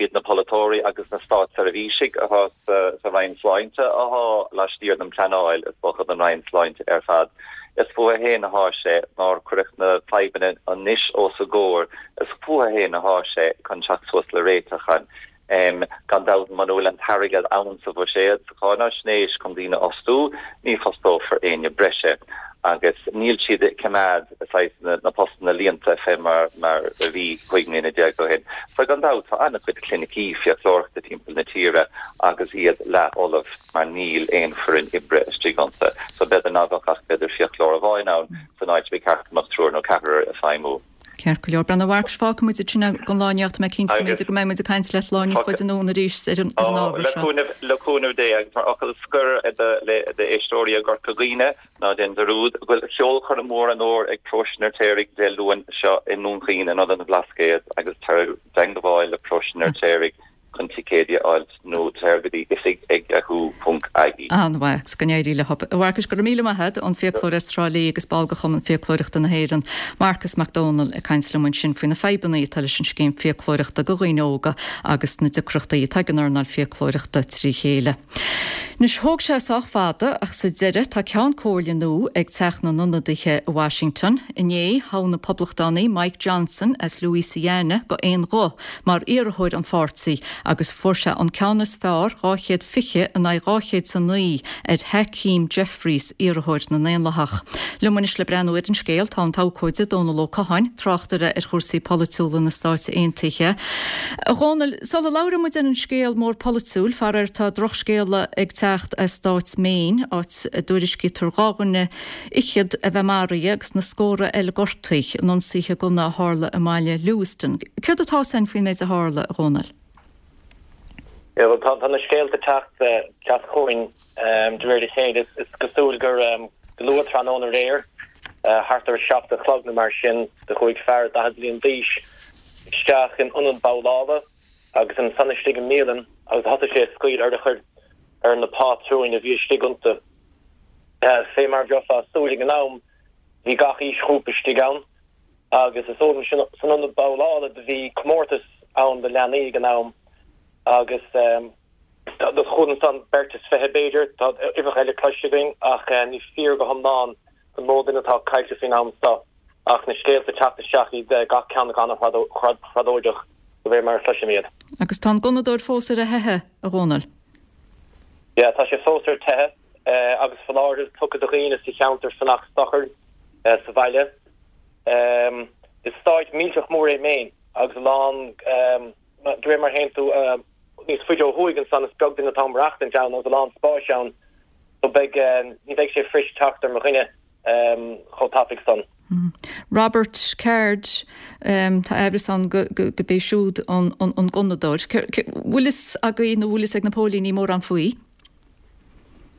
iad na polaiteoirí agus na státseirbhísigh atá sa Roinn Sláinte atá laistiar den pleanáil, is dócha, don Roinn Sláinte ar fad. Is fúthu féin atá sé, nár cuireadh na fadhbanna anois os a gcomhair, is fúthu féin atá sé chun teacht suas le réiteach ann. Gan dabht, muna bhfuil an t-airgead ann sa bhuiséad, sa cháinaisnéis chun daoine a fhostú, ní fostófar éinne breise agus níl siad ag coimeád saghas na postanna líonta fé mar a bhí 15 mbliana ó shin. So gan dabht, tá an-chuid clinicí fiaclóireachta timpeall na tíre agus iad leathfholamh mar níl aon foireann oibre istigh iontu. So b'fhéidir ná beadh ach b'fhéidir fiaclóir amháin ann san áit ba cheart go mbeadh triúr nó ceathrar ag feidhmiú. Ceart go leor. Bhuel, a Mharcais, fágfaidh muid ansin é don lá inniu ach tá mé cinnte go mb'fhéidir go mbeidh muid ag caint leat lá níos faide anonn arís ar an ábhar seo. Le cúnamh Dé agus mar fhocal scoir d'éisteoirí i gCorca Dhuibhne, ná déan dearúd go bhfuil ceolchoirm mhór an fhómhair ag Paróiste an Fheirtéaraigh Dé Luain seo i nDún Chaoin in Ionad an Bhlascaoid agus tar i dteangmháil le Paróiste an Fheirtéaraigh chun ticéidí a fháilt nó téir go dtí oifig ag yahoo ponc ie. An-mhaith, agus go n-éirí leo. A Mharcais, go raibh míle maith agat, an fiaclóir as Trá Lí agus ball de Chumann Fiaclóireachta na hÉireann, Marcas Mac Dónaill, ag caint liom ansin faoi na fadhbanna atá leis an scéim fiaclóireachta do dhaoine óga agus na deacrachtaí atá ag an earnáil fiaclóireachta trí chéile. Anois, thóg sé sách fada ach sa deireadh tá Ceann Comhairle nua ag Teach na nIonadaithe i Washington. Inné, thogh na Poblachtánaigh Mike Johnson as Louisiana go aon ghuth mar iarrthóir an pháirtí agus fuair sé an ceann is fearr, 220 in aghaidh 209. 9 ar Hakeem Jeffries, iarrthóir na nDaonlathach. Liom anois le breathnú ar an scéal tá an t-abhcóide Dónal Ó Catháin, tráchtaire ar chúrsaí polaitiúla na Stáit Aontaithe. A Dhónaill, sula labhraíonn muid ar an scéal mór polaitiúil, faraor tá drochscéala ag teacht as stát Maine, áit a dtuairiscítear 2 dhuine fhichead a bheith maraithe agus na scórtha eile gortaithe in ionsaithe gunna a tharla i mbaile Lewiston. Céard atá 'fhios a'inn faoin méid a tharla, a Dhónaill? Yeah, bhuel, tá na scéalta ag teacht chugainn de réir a chéile. Is cosúil gur go luath tráthnóna aréir, thart ar a 7 a chlog nó mar sin, do chuaigh fear 40 bliain d'aois isteach in ionad babhlála agus ansan istigh i mbialann agus thosaigh sé ag scaoileadh urchair ar na pátrúin a bhí istigh iontu. Fé mar a bheifeá ag súil ag an am, bhí gach aoisghrúpa istigh ann agus is eol dom san ionad babhlála do bhí comórtas ann do leanaí ag an am agus do chuala ansan beirt is 20 b'fhéidir, tá uimhreacha eile cloiste againn ach ní fíor go hiomlán an mó duine atá caillte faoin am seo ach na scéalta ag teacht isteach iad gach ceann acu an-thragóideach de réir mar a chloisim iad. Agus tá an gunnadóir fós ar a theitheadh, a Dhónaill? Yeah, tá sé fós ar a teitheadh agus foláireamh tugtha do dhaoine sa cheantar fanacht socair sa bhaile. Is stáit millteach mór é Maine agus a lán, de réir mar a théann tú níos faide ó thuaidh ansan is beag duine atá ag maireachtaint ann agus a lán spáis ann so beidh, ní bheidh sé fuirist teacht ar mo dhuine chomh tapaidh san. Robert Card, tá aimhreas ann go b'é siúd an gunnadóir. Bhfuil fhios agaibh nó bhfuil fhios ag na póilíní mórán faoi?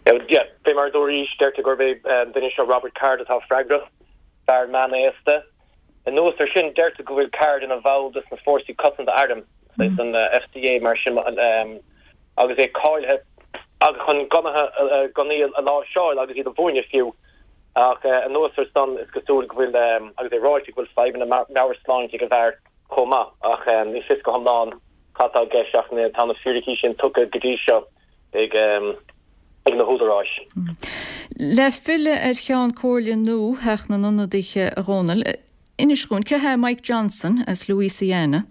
Yeah, fé mar a dúraís, deirtear gurb é an duine seo Robert Card atá freagrach, fear meánaosta. Anuas ar sin, deirtear go bhfuil Card ina bhall de sna Fórsaí Cosanta Airm, saghas an FCA mar sin, agus é cáilithe chun gunnaí a láimhseáil agus iad a mhúineadh fiú. Ach anuas ar san, is cosúil go bhfuil, agus é ráite, go bhfuil fadhbanna meabhairshláinte ag an bhfear chomh maith. Ach ní fios go hiomlán cad tá i gceist ach tá na fíricí sin tugtha go dtí seo ag na húdaráis. Le filleadh ar Cheann Comhairle nua Theach na nIonadaithe, a Dhónaill, inis dhúinn, cé hé Mike Johnson as Louisiana?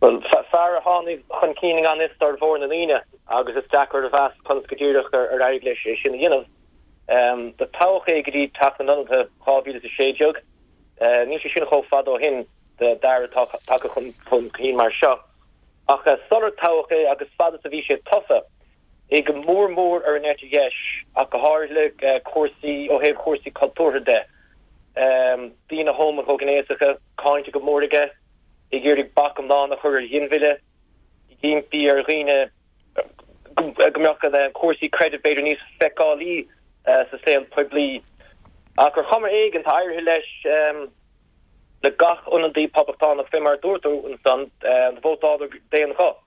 Bhuel, fear a tháinig chun cinn i ngan fhios d'fhormhór na ndaoine agus is deacair a mheas conas go díreach ar éirigh leis é sin a dhéanamh. Do toghadh é go dtí Teach na nIonadaithe 2016. Níl sé sin chomh fada ó shin d'fhear atá tagtha chun cinn mar seo. Ach sular toghadh é agus fad is a bhí sé tofa, é go mór mór ar an eite dheis ach go háirithe le cúrsaí ó thaobh chúrsaí cultúrtha de. Daoine homaighnéasacha cáinte go mór aige. ag iarraidh bac iomlán a chur ar ghinmhilleadh, ag impí ar dhaoine go mbeadh cúrsaí creidimh b'fhéidir níos feiceálaí sa saol poiblí. Ach ar chuma éigin, tá éirithe leis le gach ionadaí poblachtánach, fé mar a dúirt tú ansan, do vótáladar d'aon ghuth.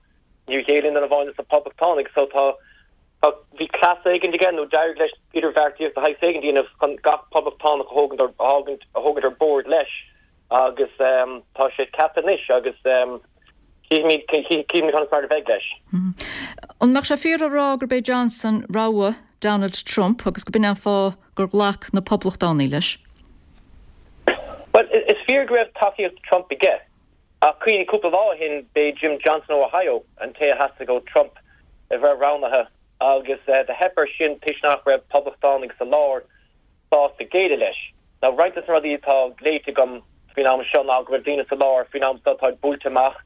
Níor ghéill aon duine amháin de na poblachtánaigh so tá bhí cleas éigin aige nó d'éirigh leis idirbheartaíocht de shaghas éigin a dhéanamh chun gach poblachtánach a thógaint a thógaint ar bord leis. Agus tá sé ceaptha anois agus cífimid conas mar a bheidh leis. An mbeadh sé fíor a rá gurb é Johnson rogha Donald Trump agus go b'in é an fáth gur ghlac na Poblachtánaigh leis? Bhuel, is fíor go raibh tacaíocht Trump aige. Ach cuimhnigh, cúpla lá ó shin, b'é Jim Johnson ó Ohio an té a theastaigh ó Trump a bheith roghnaithe agus do theip air sin toisc nach raibh Poblachtánaigh sa lár sásta géilleadh leis. Now, roinnt de na rudaí atá léite agam faoin am seo ná go bhfuil daoine sa lár faoin am seo atá buailte amach,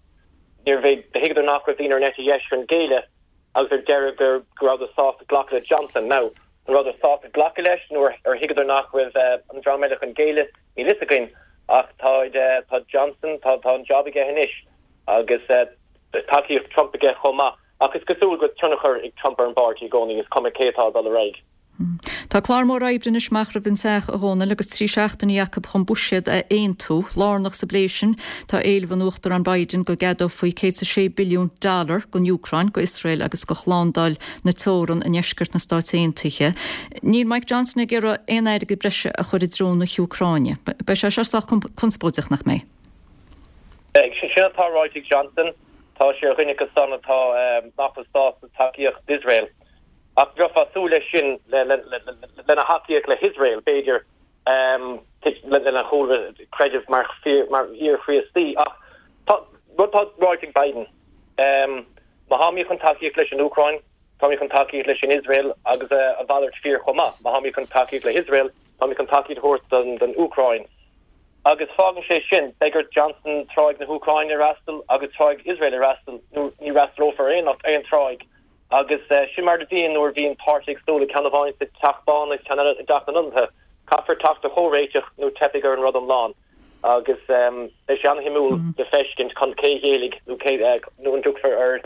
níorbh é, thuigeadar nach raibh daoine ar an eite dheis chun géilleadh agus ar deireadh go rabhadar sásta glacadh le Johnson. Now, an rabhadar sásta glacadh leis nó ar thuigeadar nach raibh an dream eile chun géilleadh, níl fhios againn ach tá, tá Johnson, tá, tá an job aige anois agus tacaíocht Trump aige chomh maith. Ach is cosúil go bhfuil tionchar ag Trump ar an bpáirtí i gcónaí, is cuma cé atá ag dul ar aghaidh. Tá clár mór oibre anois amach roimh an Teach, a Dhónaill, agus 3 seachtainí acu chun buiséad a aontú. Lárnach sa bplé sin tá éileamh an Uachtaráin Biden go gceadófaí 106 billiún dollar don Úcráin, go Iosrael agus go shlándáil na teorann i ndeisceart na Stáit Aontaithe. Níl Mike Johnson ag iarraidh aon airgead breise a chur i dtreo na hÚcráine. Beidh sé seo sách conspóideach, nach mbeidh? Beidh. Sin atá ráite ag Johnson. Tá sé ar dhuine acu san atá nach bhfuil sásta tacaíocht d'Iosrael. Ach bheifeá ag súil leis sin lena thacaíocht le hIosrael, b'fhéidir, lena chúlra creidimh mar fhíor-Chríostaí. Ach tá rud atá ráite ag Biden, má táimid chun tacaíocht leis an Úcráin, Táimid chun tacaíocht leis an Iosrael agus a mhalairt fíor chomh maith. Má tháimid chun tacaíocht le hIosrael, táimid chun tacaíocht a thabhairt don Úcráin. Agus fágann sé sin, beidh ar Johnson tráigh na hÚcráine a fhreastal agus tráigh Iosrael a fhreastal nó ní fhreastalófar ar aon tráigh. Agus sin mar a bhíonn nuair a bhíonn páirtithe éagsúla, ceann amháin sa Teach Bán agus ceann eile i dTeach na nIonadaithe. Caithfear teacht ar chomhréiteach nó teipfidh ar an rud iomlán. Agus beidh sé an-shuimiúil le feiscint cé a ghéillfidh nó cé nó an dtiocfar ar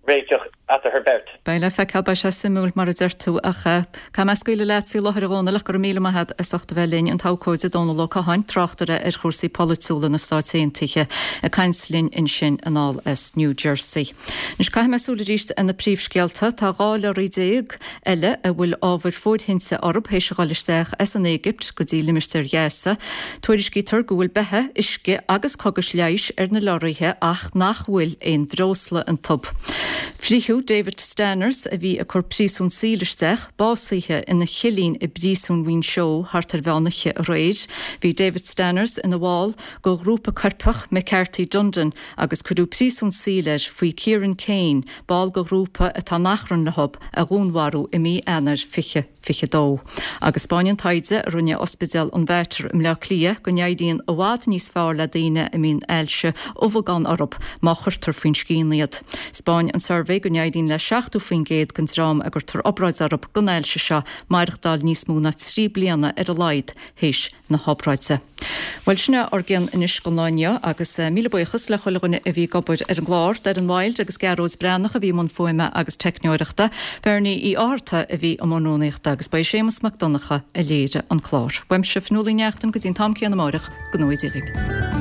réiteach eatarthu beirt. Beidh le feiceáil, beidh sé suimiúil mar a deir tú ach caithfidh mé scaoileadh leat faoi láthair a Dhónaill ach go raibh míle maith agat as ucht a bheith linn, an t-abhcóide Dónal Ó Catháin, tráchtaire ar chúrsaí polaitiúla na Stáit Aontaithe ag caint linn ansin anall as New Jersey. Anois caithfidh mé súil arís ar na príomhscéalta. Tá 12 leoraí eile a bhfuil ábhair fóirthinte orthu théis a dhul isteach as an Éigipt go dtí limistéar Ghaza. Tuairiscítear go bhfuil beatha, uisce agus cogais leighis ar na leoraithe ach nach bhfuil aon bhreosla iontu. Frítheadh David Stanners, a bhí ag cur príosún saoil isteach, básaithe ina chillín i bpríosún Mhuinseo thart ar mheán oíche aréir. Bhí David Stanners ina bhall de ghrúpa coirpeach McCarthy Dundon agus cuireadh príosún saoil air faoi Kieran Kane, ball de ghrúpa atá in achrann leo, a dhúnmharú i mí Eanáir 2022. Agus 'spáineann taighde a rinne Ospidéal an Mhater i mBleá Cliath go n-éiríonn i bhfad níos fearr le daoine a mbíonn ailse ubhagán orthu má chuirtear faoin scian iad. 'Spáin an suirbhé go n-éiríonn le 70% den dream a gcuirtear obráid orthu don ailse seo maireachtáil níos mó ná 3 bliana ar a laghad théis na hobráide. Bhuel, sin é ár gcion anois don lá inniu agus míle buíochas le chuile dhuine a bhí ag obair ar an gclár, Doireann Wild agus Gearóid Breathnach a bhí i mbun fuaime agus teicneoireachta, Bernie Uí Fhátharta a bhí i mbun rúnaíochta agus ba é Séamus Mac Donncha a léirigh an clár. Uaimse, Fionnuala Ní Neachtain, go dtí an t-am céanna amáireach, go ngnóthaí Dia dhaoibh.